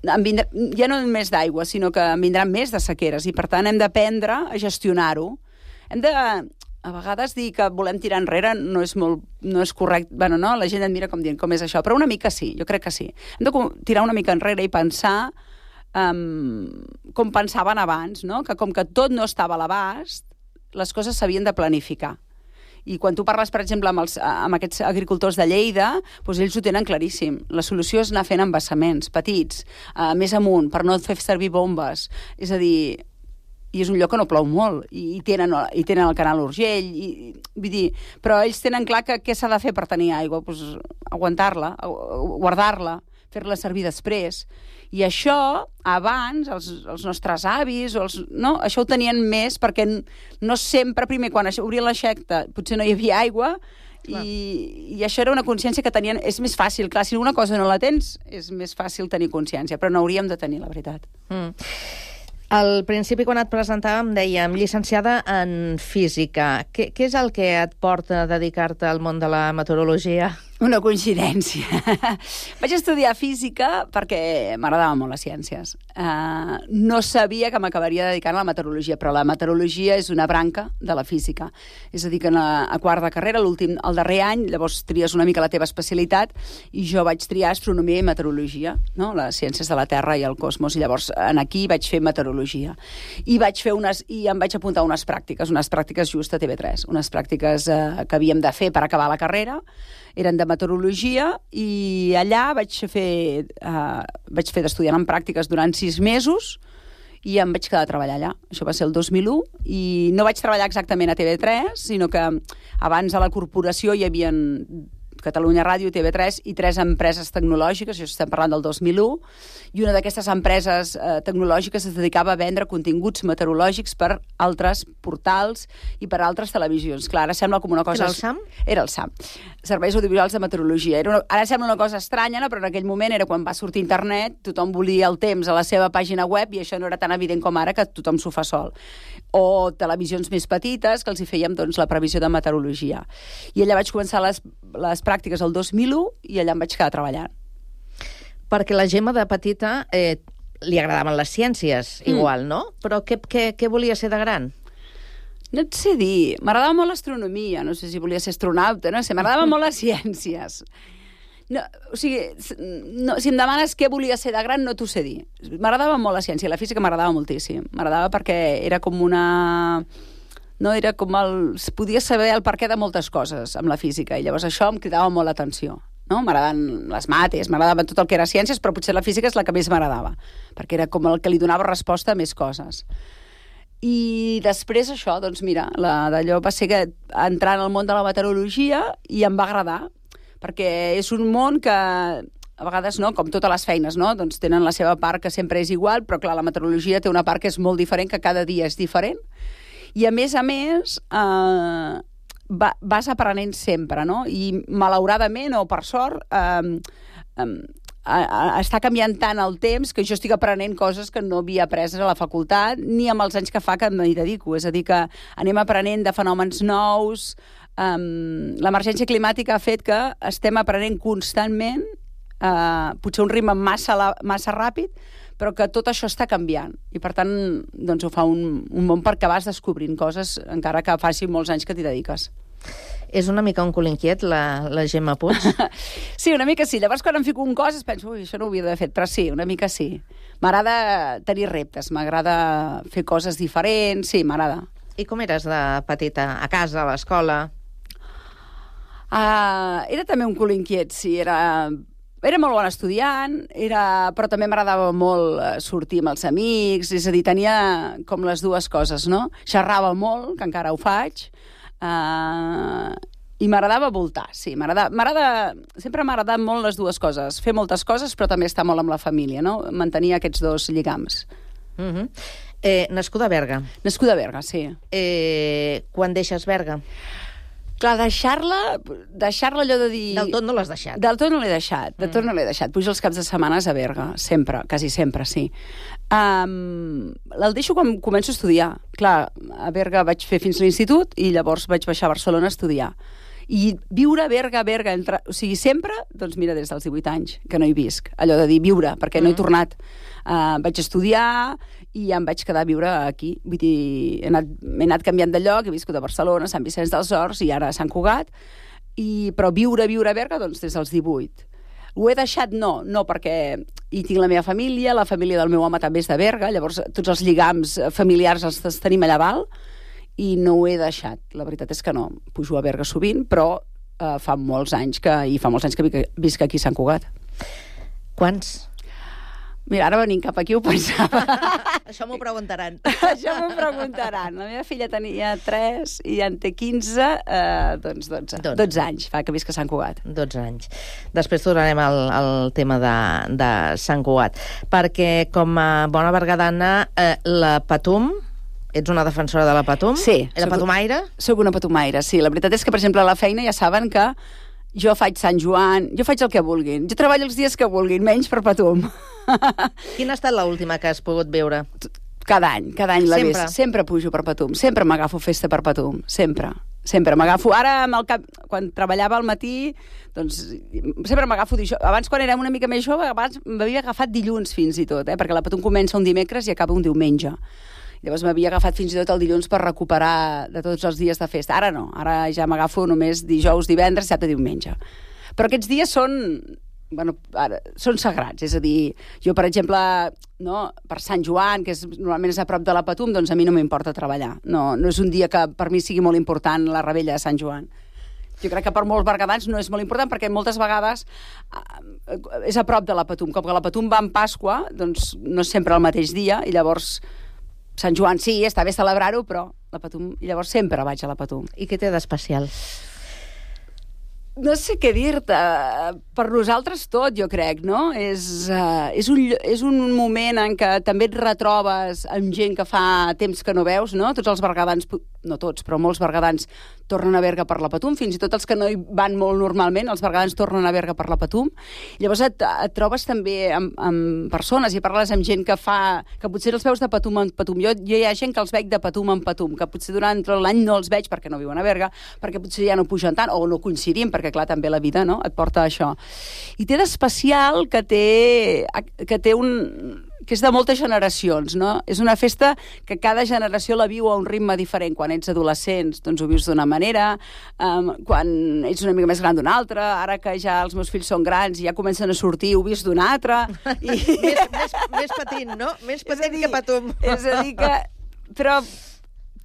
ja no només d'aigua, sinó que en vindran més de sequeres, i per tant hem d'aprendre a gestionar-ho. Hem de... A vegades dir que volem tirar enrere no és correcte. Bueno, no? La gent et mira com dient, com és això? Però una mica sí, jo crec que sí. Hem de tirar una mica enrere i pensar com pensaven abans, no? Que com que tot no estava a l'abast, les coses s'havien de planificar. I quan tu parles, per exemple, amb aquests agricultors de Lleida, doncs ells ho tenen claríssim. La solució és anar fent embassaments petits, més amunt, per no fer servir bombes. És a dir, i és un lloc que no plou molt, i tenen el canal Urgell, vull dir, però ells tenen clar que què s'ha de fer per tenir aigua? Doncs aguantar-la, guardar-la, fer-la servir després. I això, abans, els nostres avis, no? Això ho tenien més perquè no sempre, primer, quan obrien l'aixeta, potser no hi havia aigua, i això era una consciència que tenien... És més fàcil, clar, si una cosa no la tens, és més fàcil tenir consciència, però no hauríem de tenir, la veritat. Al principi, quan et presentàvem, dèiem llicenciada en física. Què és el que et porta a dedicar-te al món de la meteorologia? Una coincidència. Vaig estudiar física perquè m'agradaven molt les ciències. No sabia que m'acabaria dedicant a la meteorologia, però la meteorologia és una branca de la física. És a dir, que a quart de carrera, el darrer any, llavors tries una mica la teva especialitat, i jo vaig triar astronomia i meteorologia, no? Les ciències de la Terra i el cosmos, i llavors aquí vaig fer meteorologia. I em vaig apuntar a unes pràctiques just a TV3, unes pràctiques que havíem de fer per acabar la carrera, eren de meteorologia, i allà vaig fer d'estudiant en pràctiques durant 6 mesos, i em vaig quedar a treballar allà. Això va ser el 2001, i no vaig treballar exactament a TV3, sinó que abans a la corporació hi havia Catalunya Ràdio, TV3 i 3 empreses tecnològiques, això estem parlant del 2001, i una d'aquestes empreses tecnològiques es dedicava a vendre continguts meteorològics per altres portals i per altres televisions. Clar, ara sembla com una cosa... Era el SAM? Era el SAM. Serveis Audiovisuals de Meteorologia. Ara sembla una cosa estranya, no? Però en aquell moment era quan va sortir internet, tothom volia el temps a la seva pàgina web i això no era tan evident com ara, que tothom s'ho fa sol. O televisions més petites, que els hi fèiem doncs, la previsió de meteorologia. I allà vaig començar les pràctiques el 2001 i allà em vaig quedar treballant. Perquè la Gemma de petita li agradaven les ciències, igual, no? Però què volia ser de gran? No et sé dir. M'agradava molt l'astronomia. No sé si volia ser astronauta, no sé. M'agradaven molt les ciències. No, o sigui, no, si em demanes què volia ser de gran, no t'ho sé dir. M'agradava molt la ciència. La física m'agradava moltíssim. M'agradava perquè era com una... No, era com podia saber el perquè de moltes coses amb la física, i llavors això em cridava molt l'atenció. No? M'agraden les mates, m'agradava tot el que era ciències, però potser la física és la que més m'agradava, perquè era com el que li donava resposta a més coses. I després això, doncs mira, d'allò va ser que entrar en el món de la meteorologia i em va agradar, perquè és un món que a vegades, no, com totes les feines, no, doncs tenen la seva part que sempre és igual, però clar, la meteorologia té una part que és molt diferent, que cada dia és diferent, i a més, vas aprenent sempre, no? I malauradament, o per sort, està canviant tant el temps que jo estic aprenent coses que no havia après a la facultat, ni amb els anys que fa que m'hi dedico. És a dir, que anem aprenent de fenòmens nous. L'emergència climàtica ha fet que estem aprenent constantment, potser un ritme massa ràpid, però que tot això està canviant. I, per tant, doncs ho fa un món perquè vas descobrint coses, encara que faci molts anys que t'hi dediques. És una mica un cul inquiet, la Gemma Puig? Sí, una mica sí. Llavors, quan em fico en coses, penso, ui, això no ho havia d'haver fet, però sí, una mica sí. M'agrada tenir reptes, m'agrada fer coses diferents, sí, m'agrada. I com eres de petita? A casa, a l'escola? Era també un cul inquiet, sí. Era molt bon estudiant, però també m'agradava molt sortir amb els amics, és a dir, tenia com les dues coses, no? Xerrava molt, que encara ho faig, i m'agradava voltar, sí. Sempre m'ha agradat molt les dues coses, fer moltes coses, però també estar molt amb la família, no? Mantenir aquests dos lligams. Nascuda a Berga. Nascuda a Berga, sí. Quan deixes Berga? Clar, deixar-la allò de dir... Del tot no l'has deixat. Del tot no l'he deixat, Pujo els caps de setmana a Berga, sempre, quasi sempre, sí. El deixo quan començo a estudiar. Clar, a Berga vaig fer fins l'institut i llavors vaig baixar a Barcelona a estudiar. I viure a Berga, o sigui, sempre, doncs mira, des dels 18 anys, que no hi visc. Allò de dir viure, perquè no he tornat. Vaig estudiar i em vaig quedar a viure aquí. Vull dir, m'he anat canviant de lloc, he viscut a Barcelona, Sant Vicenç dels Horts i ara a Sant Cugat, però viure a Berga, doncs, des dels 18. Ho he deixat? No, perquè hi tinc la meva família, la família del meu home també és de Berga, llavors tots els lligams familiars els tenim allà dalt, i no ho he deixat. La veritat és que no. Pujo a Berga sovint, però fa molts anys que visc aquí a Sant Cugat. Quants? Mira, ara venint cap aquí ho pensava. Això m'ho preguntaran. Això m'ho preguntaran. La meva filla tenia 3 i en té 15, doncs 12 anys fa que visc a Sant Cugat. 12 anys. Després tornarem al tema de Sant Cugat. Perquè com a bona bergadana, la Patum... Ets una defensora de la Patum? Sí. Era patumaire? Soc una patumaire, sí. La veritat és que, per exemple, a la feina ja saben que jo faig Sant Joan, jo faig el que vulguin. Jo treballo els dies que vulguin, menys per Patum. Quina ha estat l'última que has pogut veure? Cada any la ves. Sempre pujo per Patum. Sempre m'agafo festa per Patum. Sempre m'agafo. Ara, quan treballava al matí, doncs sempre m'agafo dijous. Abans, quan era una mica més jove, abans m'havia agafat dilluns fins i tot, perquè la Patum comença un dimecres i acaba un diumenge. Llavors m'havia agafat fins i tot el dilluns per recuperar de tots els dies de festa. Ara no, ara ja m'agafo només dijous, divendres, dissabte, diumenge. Però aquests dies són sagrats, és a dir, jo, per exemple, no, per Sant Joan, que normalment és a prop de la Patum, doncs a mi no m'importa treballar. No és un dia que per mi sigui molt important la rebella de Sant Joan. Jo crec que per molts berguedans no és molt important, perquè moltes vegades és a prop de la Patum. Com que la Patum va en Pasqua, doncs no és sempre el mateix dia, i llavors Sant Joan sí, està bé celebrar-ho, però la Patum, i llavors sempre vaig a la Patum. I què té d'especial? No sé què dir-te. Per nosaltres tot, jo crec, no? És un moment en què també et retrobes amb gent que fa temps que no veus, no? Tots els berguedans, no tots, però molts berguedans tornen a Berga per la Patum, fins i tot els que no hi van molt normalment, els berguedans tornen a Berga per la Patum. Llavors et trobes també amb persones i parles amb gent que potser els veus de Patum en Patum. Jo hi ha gent que els veig de Patum en Patum, que potser durant l'any no els veig perquè no viuen a Berga, perquè potser ja no pugen tant, o no coincidim, perquè clar, també la vida, no?, et porta a això. I té d'especial que és de moltes generacions, no? És una festa que cada generació la viu a un ritme diferent. Quan ets adolescents, doncs ho vius d'una manera, quan ets una mica més gran d'una altra, ara que ja els meus fills són grans i ja comencen a sortir, ho vius d'una altra. Més patint, no? Més patint que Patum. És a dir que... Però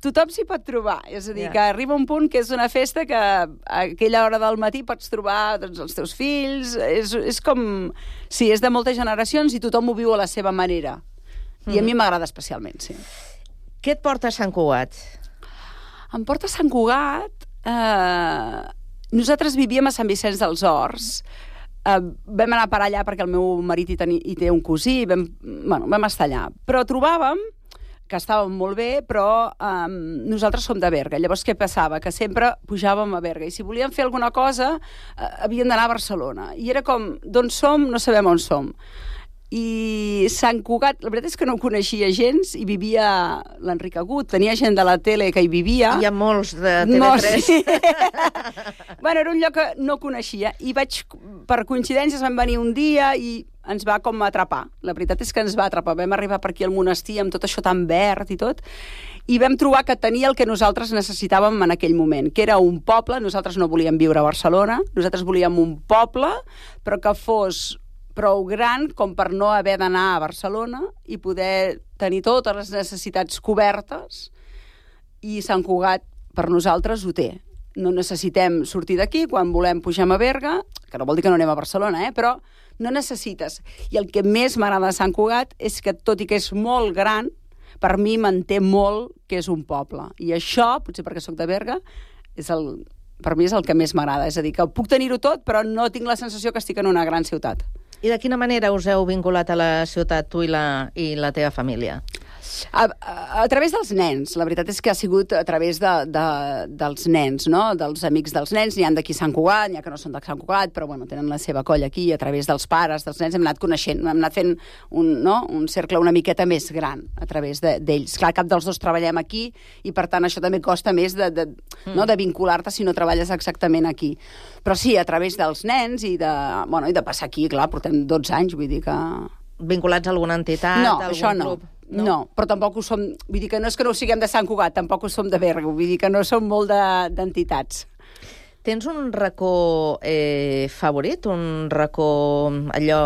tothom s'hi pot trobar. És a dir, que arriba un punt que és una festa que a aquella hora del matí pots trobar els teus fills. És com... Sí, és de moltes generacions i tothom ho viu a la seva manera. I a mi m'agrada especialment, sí. Què et porta a Sant Cugat? Em porta a Sant Cugat... Nosaltres vivíem a Sant Vicenç dels Horts. Vam anar per allà perquè el meu marit hi té un cosí. Vam estar allà. Però trobàvem que estàvem molt bé, però nosaltres som de Berga. Llavors, què passava? Que sempre pujàvem a Berga. I si volíem fer alguna cosa, havíem d'anar a Barcelona. I era com, d'on som? No sabem on som. I Sant Cugat, la veritat és que no ho coneixia gens, i vivia l'Enric Agut, tenia gent de la tele que hi vivia. Hi ha molts de TV3. Sí. Bueno, era un lloc que no coneixia, i per coincidències vam venir un dia i ens va com atrapar. La veritat és que ens va atrapar. Vam arribar per aquí al monestir amb tot això tan verd i tot, i vam trobar que tenia el que nosaltres necessitàvem en aquell moment, que era un poble. Nosaltres no volíem viure a Barcelona, nosaltres volíem un poble, però que fos prou gran com per no haver d'anar a Barcelona i poder tenir totes les necessitats cobertes, i Sant Cugat per nosaltres ho té. No necessitem sortir d'aquí, quan volem pugem a Berga, que no vol dir que no anem a Barcelona, però no necessites. I el que més m'agrada de Sant Cugat és que, tot i que és molt gran, per mi manté molt que és un poble. I això, potser perquè sóc de Berga, per mi és el que més m'agrada. És a dir, que puc tenir-ho tot, però no tinc la sensació que estic en una gran ciutat. I de quina manera us heu vinculat a la ciutat, tu i la teva família? A través dels nens. La veritat és que ha sigut a través dels nens, no? Dels amics dels nens. N'hi ha d'aquí Sant Cugat, n'hi ha que no són de Sant Cugat, però bueno, tenen la seva colla aquí. A través dels pares, dels nens, hem anat coneixent, hem anat fent un cercle una miqueta més gran a través d'ells. Clar, cap dels dos treballem aquí, i per tant això també costa més de vincular-te si no treballes exactament aquí. Però sí, a través dels nens i de passar aquí, clar, portem 12 anys, vull dir que... Vinculats a alguna entitat, no, a algun això no. club? No, però tampoc ho som... Vull dir que no és que no ho siguem de Sant Cugat, tampoc ho som de Berga, vull dir que no som molt d'entitats. Tens un racó favorit, un racó allò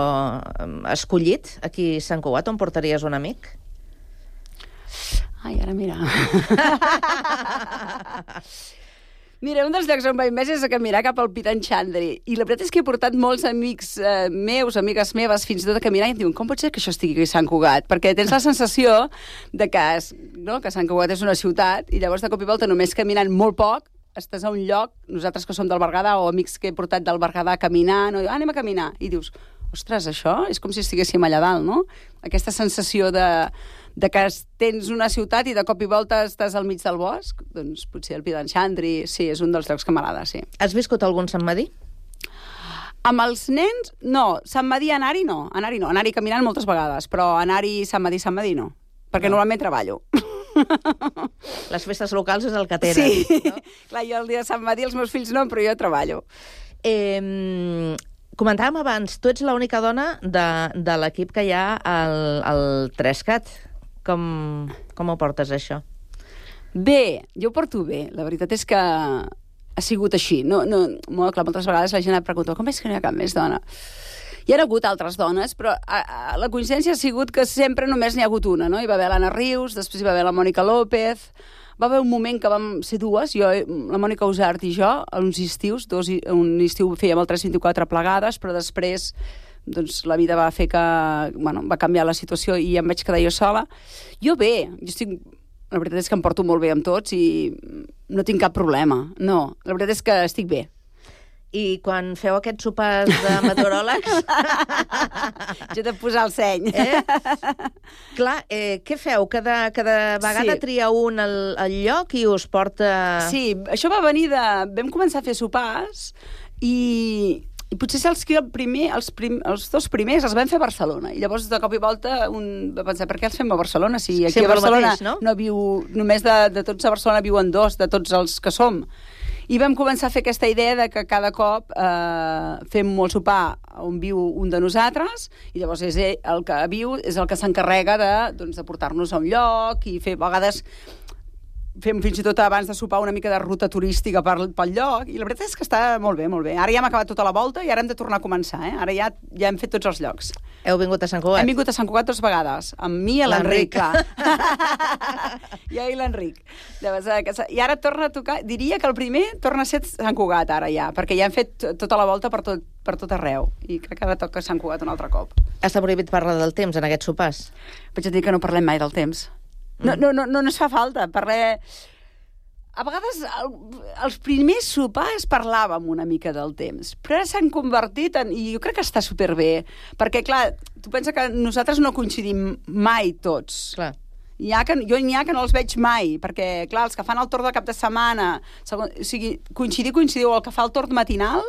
escollit aquí a Sant Cugat, on portaries un amic? Ai, ara mira... Mira, un dels llocs on vaig més és a caminar cap al Pitan Xandri. I la veritat és que he portat molts amics meus, amigues meves, fins i tot a caminar, i em diuen, com pot ser que això estigui aquí a Sant Cugat? Perquè tens la sensació de que Sant Cugat és una ciutat, i llavors de cop i volta, només caminant molt poc, estàs a un lloc, nosaltres que som del Berguedà, o amics que he portat del Berguedà caminant, anem a caminar. I dius, ostres, això és com si estiguéssim allà dalt, no? Aquesta sensació de que tens una ciutat i de cop i volta estàs al mig del bosc, doncs potser el Pitan Xandri, sí, és un dels llocs que m'agrada, sí. Has viscut algun Sant Madí? Amb els nens, no. Sant Madí, anar-hi no. Anar-hi caminant moltes vegades, però anar-hi Sant Madí no. Perquè normalment treballo. Les festes locals és el que tenen. Sí, no? Clar, jo el dia de Sant Madí els meus fills no, però jo treballo. Comentàvem abans, tu ets l'única dona de l'equip que hi ha al 3CAT. Com ho portes, això? Bé, jo ho porto bé. La veritat és que ha sigut així. Clar, moltes vegades la gent em pregunta, com és que no hi ha cap més dona? Hi ha hagut altres dones, però la coincidència ha sigut que sempre només n'hi ha hagut una, no? Hi va haver l'Anna Rius, després hi va haver la Mònica López, va haver un moment que vam ser dues, jo, la Mònica Usart i jo, uns estius, un estiu fèiem el 324 plegades, però després doncs, la vida va fer que... Bueno, va canviar la situació i em vaig quedar jo sola. Jo bé, la veritat és que em porto molt bé amb tots i no tinc cap problema. No, la veritat és que estic bé. I quan feu aquests sopars de meteoròlegs... Jo t'he de posar el seny. Clar, què feu? Cada vegada tria un al lloc i us porta... Sí, això va venir de... Vam començar a fer sopars i potser els dos primers els vam fer a Barcelona. I llavors, de cop i volta, un va pensar, per què els fem a Barcelona? Si aquí a Barcelona no viu... Només de tots a Barcelona viuen dos, de tots els que som. I vam començar a fer aquesta idea de que cada cop fem molt sopar on viu un de nosaltres i llavors és el que viu, és el que s'encarrega de portar-nos a un lloc i fer, a vegades fem fins i tot abans de sopar una mica de ruta turística pel lloc i la veritat és que està molt bé, molt bé. Ara ja hem acabat tota la volta i ara hem de tornar a començar, Ara ja hem fet tots els llocs. Heu vingut a Sant Cugat? Hem vingut a Sant Cugat 2 vegades, amb mi i l'Enric, clar. Jo i l'Enric. I ara torna a tocar, diria que el primer torna a ser Sant Cugat ara ja, perquè ja hem fet tota la volta per tot arreu i crec que ara toca Sant Cugat un altre cop. Està prohibit parlar del temps en aquests sopars? Vaig dir que no parlem mai del temps. No ens fa falta. A vegades els primers sopars parlàvem una mica del temps, però ara s'han convertit en... I jo crec que està superbé, perquè, clar, tu pensa que nosaltres no coincidim mai tots. Clar. Jo n'hi ha que no els veig mai, perquè, clar, els que fan el torn de cap de setmana, o sigui, coincidiu el que fa el torn matinal,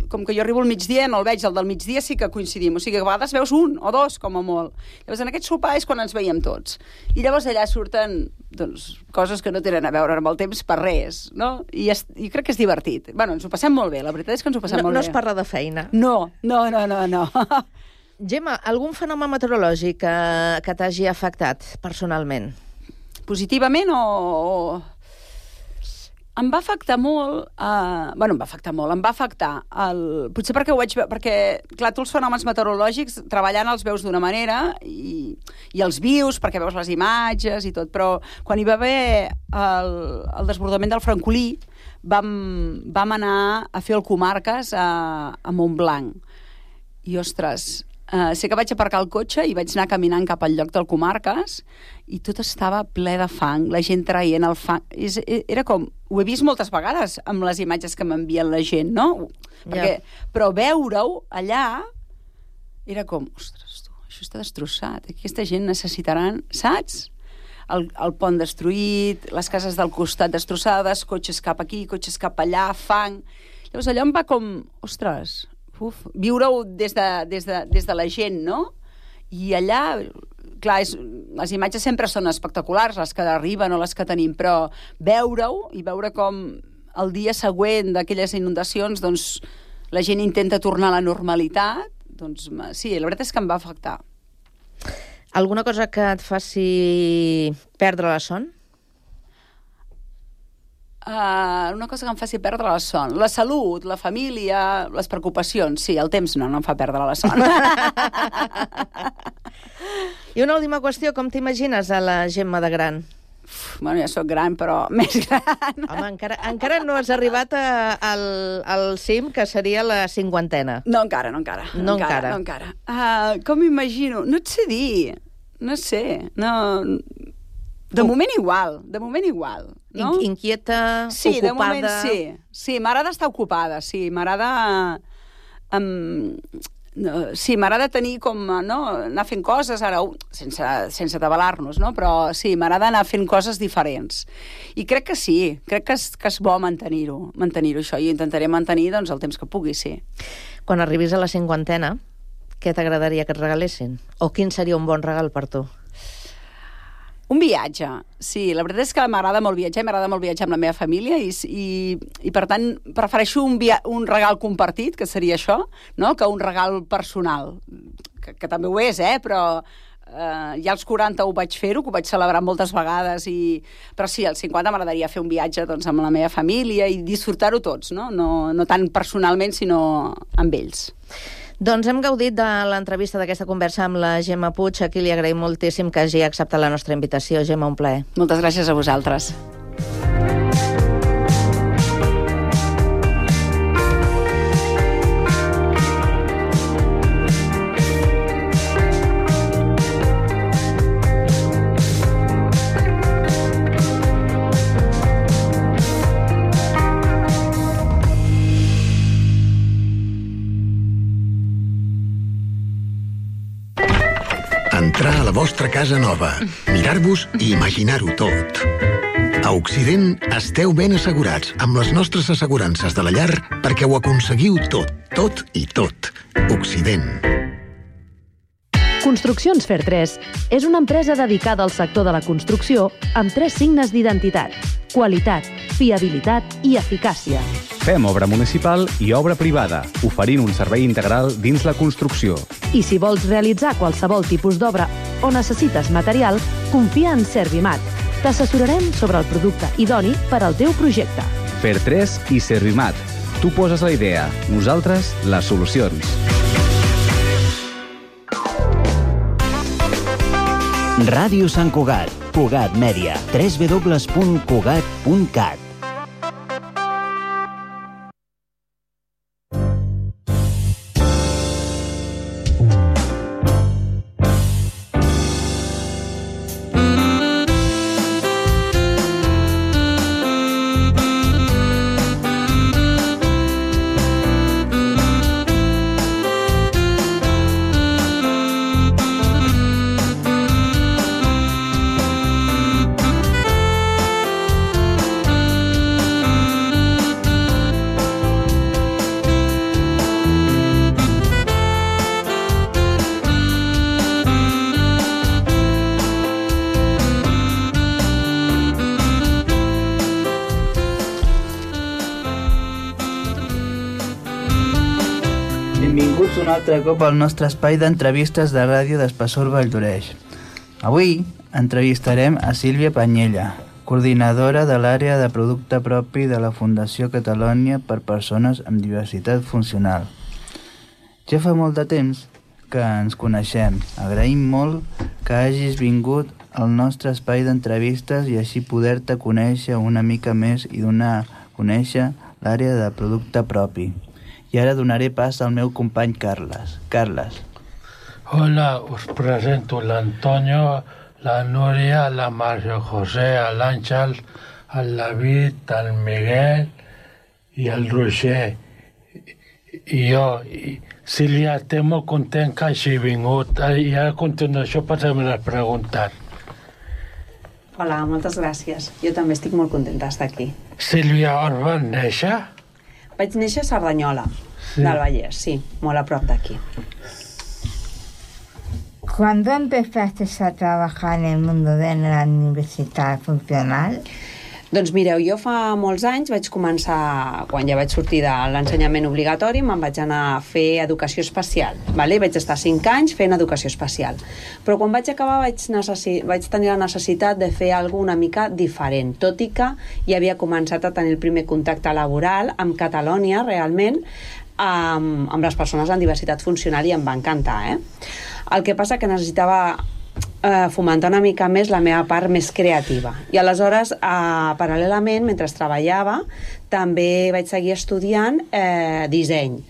com que jo arribo al migdia, no el veig, el del migdia sí que coincidim, o sigui que a vegades veus un o dos, com a molt. Llavors, en aquest sopar és quan ens veiem tots. I llavors allà surten, coses que no tenen a veure amb el temps per res, no? I crec que és divertit. Bueno, ens ho passem molt bé, la veritat és que ens ho passem molt bé. No es parla de feina? No. Gemma, algun fenomen meteorològic que t'hagi afectat personalment? Positivament o... Em va afectar molt... em va afectar... Potser perquè ho vaig veure... Perquè, clar, tu els fenòmens meteorològics treballant els veus d'una manera i els vius perquè veus les imatges i tot, però quan hi va haver el desbordament del Francolí vam anar a fer el Comarques a Montblanc. I, ostres... sé que vaig aparcar el cotxe i vaig anar caminant cap al lloc del Comarques i tot estava ple de fang, la gent traient el fang. Era com... Ho he vist moltes vegades amb les imatges que m'envien la gent, no? Però veure-ho allà era com, ostres, tu, això està destrossat. Aquesta gent necessitaran, saps? El pont destruït, les cases del costat destrossades, cotxes cap aquí, cotxes cap allà, fang... Llavors allò em va com, ostres... viure-ho des de la gent, no? I allà, clar, les imatges sempre són espectaculars, les que arriben o les que tenim, però veure-ho i veure com el dia següent d'aquelles inundacions, doncs, la gent intenta tornar a la normalitat, doncs, sí, la veritat és que em va afectar. Alguna cosa que et faci perdre la son? Una cosa que em faci perdre la son. La salut, la família, les preocupacions. Sí, el temps no em fa perdre la son. I una última qüestió, com t'imagines a la Gemma de gran? Bueno, ja sóc gran, però més gran. Home, encara no has arribat al cim, que seria la 50ena. No encara. Com m'imagino? No et sé dir. No sé. De moment igual. No? Inquieta, sí, ocupada... De moment sí. Sí, m'agrada estar ocupada, sí. M'agrada... Sí, m'agrada tenir com... No? Anar fent coses, ara, sense atabalar-nos, no? Però sí, m'agrada anar fent coses diferents. I crec que sí, crec que és bo mantenir-ho, això, i intentaré mantenir doncs, el temps que pugui, sí. Quan arribis a la 50ena, què t'agradaria que et regalessin? O quin seria un bon regal per tu? Un viatge, sí. La veritat és que m'agrada molt viatjar, m'agrada molt viatjar amb la meva família i per tant, prefereixo un regal compartit, que seria això, no? Que un regal personal, que també ho és, però ja als 40 ho vaig fer-ho, que ho vaig celebrar moltes vegades, però sí, als 50 m'agradaria fer un viatge doncs, amb la meva família i disfrutar-ho tots, no tant personalment, sinó amb ells. Doncs hem gaudit de l'entrevista d'aquesta conversa amb la Gemma Puig. Aquí li agraïm moltíssim que hagi acceptat la nostra invitació. Gemma, un plaer. Moltes gràcies a vosaltres. Entrar a la vostra casa nova, mirar-vos i imaginar-ho tot. A Occident esteu ben assegurats amb les nostres assegurances de la llar perquè ho aconseguiu tot, tot i tot. Occident. Construccions Fer3 és una empresa dedicada al sector de la construcció amb 3 signes d'identitat: qualitat, fiabilitat i eficàcia. Fem obra municipal i obra privada, oferint un servei integral dins la construcció. I si vols realitzar qualsevol tipus d'obra o necessites material, confia en Servimat. T'assessorarem sobre el producte idoni per al teu projecte. Fer3 i Servimat. Tu poses la idea, nosaltres les solucions. Ràdio Sant Cugat, Cugat Mèdia, www.cugat.cat. Benvinguts un altre cop al nostre espai d'entrevistes de ràdio d'Espessor Valldoreix. Avui entrevistarem a Sílvia Panyella, coordinadora de l'àrea de producte propi de la Fundació Catalònia per Persones amb Diversitat Funcional. Ja fa molt de temps que ens coneixem. Agraïm molt que hagis vingut al nostre espai d'entrevistes i així poder-te conèixer una mica més i donar a conèixer l'àrea de producte propi. I ara donaré pas al meu company Carles. Carles. Hola, us presento l'Antonio, la Núria, la Maria José, l'Àngel, el David, el Miguel i el Roger. I jo, Sílvia, estic molt content que hagi vingut. I a continuació passem a preguntar. Hola, moltes gràcies. Jo també estic molt contenta d'estar aquí. Sílvia, on vas néixer? Vaig néixer a Cerdanyola, del Vallès, sí, molt a prop d'aquí. ¿Cuándo empezaste a trabajar en el mundo de la universidad funcional? Doncs mireu, jo fa molts anys vaig començar, quan ja vaig sortir de l'ensenyament obligatori, me'n vaig anar a fer educació especial. Vale? Vaig estar 5 anys fent educació especial. Però quan vaig acabar vaig tenir la necessitat de fer alguna una mica diferent, tot i que ja havia començat a tenir el primer contacte laboral amb Catalònia, realment, amb les persones amb diversitat funcional, i em va encantar. El que passa que necessitava fomentar una mica més la meva part més creativa. I aleshores, paral·lelament, mentre treballava, també vaig seguir estudiant disseny.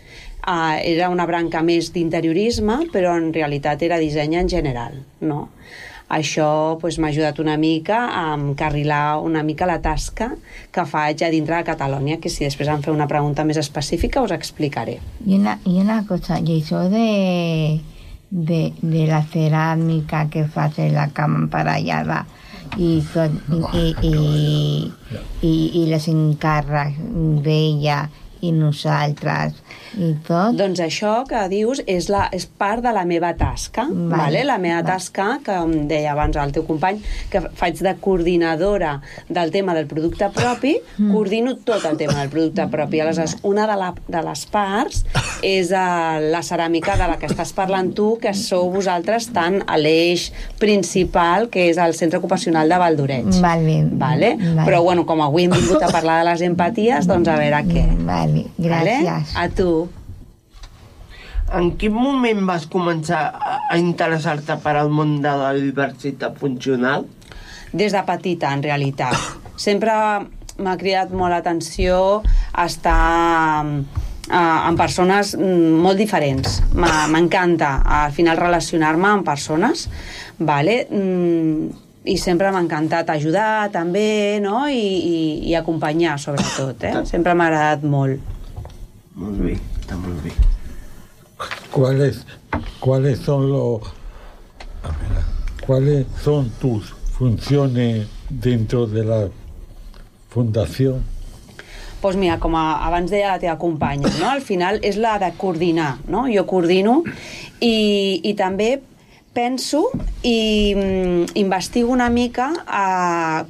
Era una branca més d'interiorisme, però en realitat era disseny en general, no? Això m'ha ajudat una mica a encarrilar una mica la tasca que faig a dintre de Catalònia, que si després em feu una pregunta més específica us explicaré. Y una cosa, y eso de la cerámica que hace la cama emparellada y les encàrrecs d'ella i nosaltres i tot. Doncs això que dius és part de la meva tasca, vale? La meva tasca, que em deia abans el teu company, que faig de coordinadora del tema del producte propi, coordino tot el tema del producte propi. Aleshores, una de les parts és la ceràmica de la que estàs parlant tu, que sou vosaltres tant a l'eix principal, que és el Centre Ocupacional de Valldoreix. Vale? Però, bueno, com avui hem vingut a parlar de les empaties, doncs a veure què. Vale, gràcies. A tu. En quin moment vas començar a interessar-te per al món de la diversitat funcional? Des de petita, en realitat. Sempre m'ha cridat molt l'atenció estar amb persones molt diferents. M'encanta, al final, relacionar-me amb persones, vale? I sempre m'ha encantat ajudar també, no? I acompanyar, sobretot, Sempre m'ha agradat molt. Molt bé, està molt bé. ¿Cuáles son tus funciones dentro de la fundación? Doncs mira, com abans deia la teva companya, no? Al final és la de coordinar, no? Jo coordino i també penso i investigo una mica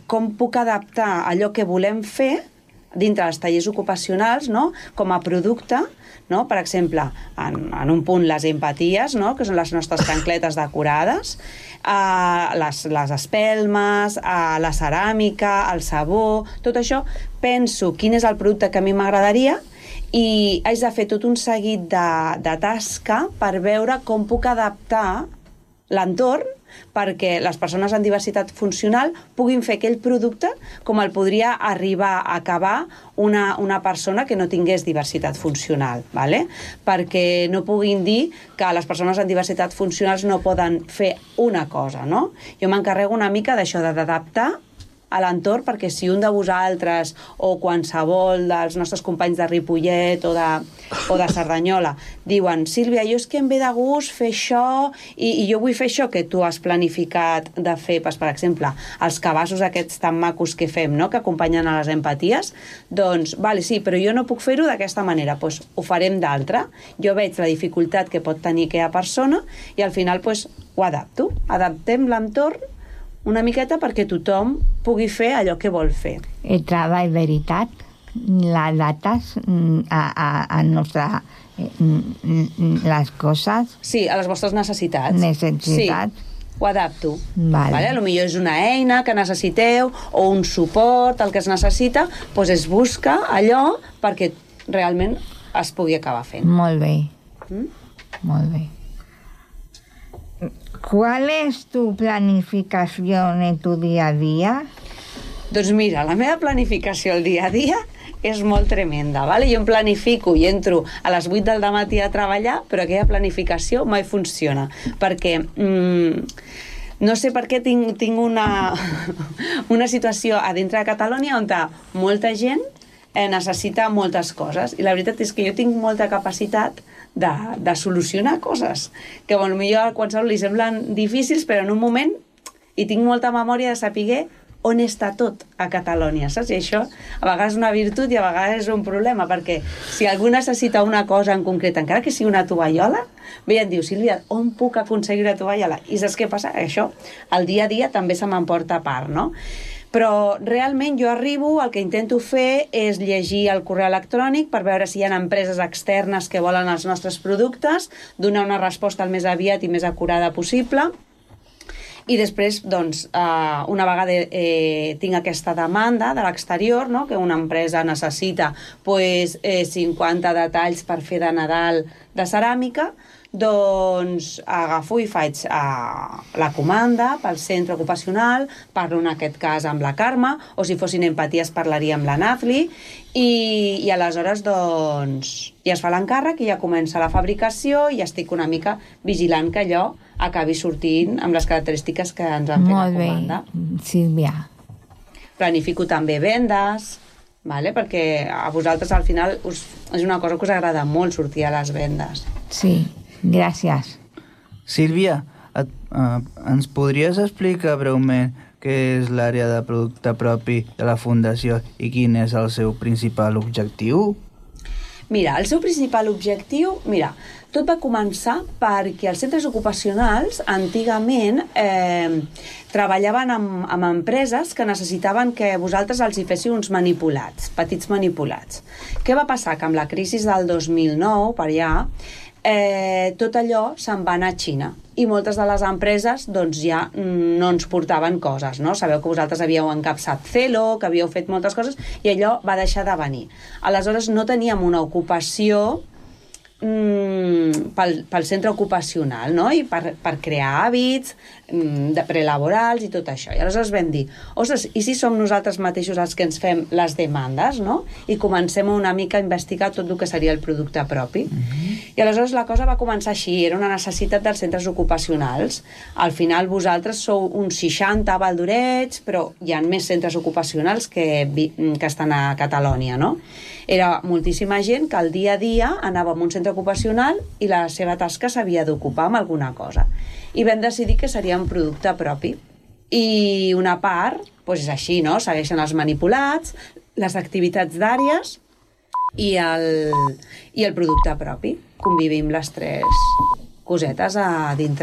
com puc adaptar allò que volem fer dintre dels tallers ocupacionals, no? Com a producte, no? Per exemple, en un punt les empaties, no? Que són les nostres xancletes decorades, les espelmes, la ceràmica, el sabó, tot això, penso quin és el producte que a mi m'agradaria i haig de fer tot un seguit de tasca per veure com puc adaptar l'entorn perquè les persones amb diversitat funcional puguin fer aquell producte com el podria arribar a acabar una persona que no tingués diversitat funcional, ¿vale? Perquè no puguin dir que les persones amb diversitat funcional no poden fer una cosa, no? Jo m'encarrego una mica d'això, d'adaptar a l'entorn, perquè si un de vosaltres o qualsevol dels nostres companys de Ripollet o de Cerdanyola diuen, Sílvia, jo és que em ve de gust fer això i jo vull fer això que tu has planificat de fer, per exemple, els cabassos aquests tan macos que fem, no? Que acompanyen a les empaties, doncs, vale, sí, però jo no puc fer-ho d'aquesta manera, doncs ho farem d'altra. Jo veig la dificultat que pot tenir aquella persona i al final doncs, ho adapto. Adaptem l'entorn una miqueta perquè tothom pugui fer allò que vol fer. El treball veritat, les dates a nostra... les coses... Sí, a les vostres necessitats. Necessitats. Sí, ho adapto. Vale. A lo millor és una eina que necessiteu o un suport, el que es necessita, doncs es busca allò perquè realment es pugui acabar fent. Molt bé. Molt bé. ¿Cuál es tu planificación en tu día a día? Doncs mira, la meva planificació el dia a dia és molt tremenda, ¿vale? Jo em planifico i entro a les 8 del matí a treballar, però aquella planificació mai funciona, perquè no sé per què tinc una situació a dintre de Catalunya on molta gent necessita moltes coses, i la veritat és que jo tinc molta capacitat de solucionar coses que potser a qualsevol li semblen difícils, però en un moment i tinc molta memòria de saber on està tot a Catalunya, saps? I això a vegades és una virtut i a vegades és un problema, perquè si algú necessita una cosa en concret, encara que sigui una tovallola, ve i em diu, Sílvia, on puc aconseguir una tovallola? I saps què passa? Això, el dia a dia també se m'emporta a part, no? Però realment jo arribo, el que intento fer és llegir el correu electrònic per veure si hi ha empreses externes que volen els nostres productes, donar una resposta el més aviat i més acurada possible, i després, doncs, una vegada tinc aquesta demanda de l'exterior, no? Que una empresa necessita 50 detalls per fer de Nadal de ceràmica, doncs agafo i faig la comanda pel centre ocupacional, parlo en aquest cas amb la Carme, o si fossin empaties parlaria amb la Nazli, i aleshores doncs ja es fa l'encàrrec i ja comença la fabricació i estic una mica vigilant que allò acabi sortint amb les característiques que ens han fet la comanda. Molt bé, Sílvia. Planifico també vendes, vale? Perquè a vosaltres al final és una cosa que us agrada molt sortir a les vendes. Sí. Gràcies. Sílvia, ens podries explicar breument què és l'àrea de producte propi de la Fundació i quin és el seu principal objectiu? Mira, el seu principal objectiu... Mira, tot va començar perquè els centres ocupacionals antigament treballaven amb empreses que necessitaven que vosaltres els hi féssiu uns manipulats, petits manipulats. Què va passar? Que amb la crisi del 2009, per allà, tot allò se'n va anar a Xina i moltes de les empreses doncs ja no ens portaven coses, no? Sabeu que vosaltres havíeu encapçat Celo, que havíeu fet moltes coses i allò va deixar de venir. Aleshores no teníem una ocupació pel centre ocupacional, no? I per crear hàbits de prelaborals i tot això. I aleshores vam dir, ostres, i si som nosaltres mateixos els que ens fem les demandes, no? I comencem una mica a investigar tot el que seria el producte propi. I aleshores la cosa va començar així, era una necessitat dels centres ocupacionals. Al final vosaltres sou uns 60 a Valldoreix, però hi ha més centres ocupacionals que estan a Catalunya, no? Era moltíssima gent que al dia a dia anava a un centre ocupacional i la seva tasca s'havia d'ocupar amb alguna cosa. I vam decidir que seria un producte propi. I una part, doncs és així, no? Segueixen els manipulats, les activitats d'àrees i el producte propi. Convivim les tres cosetes a dintre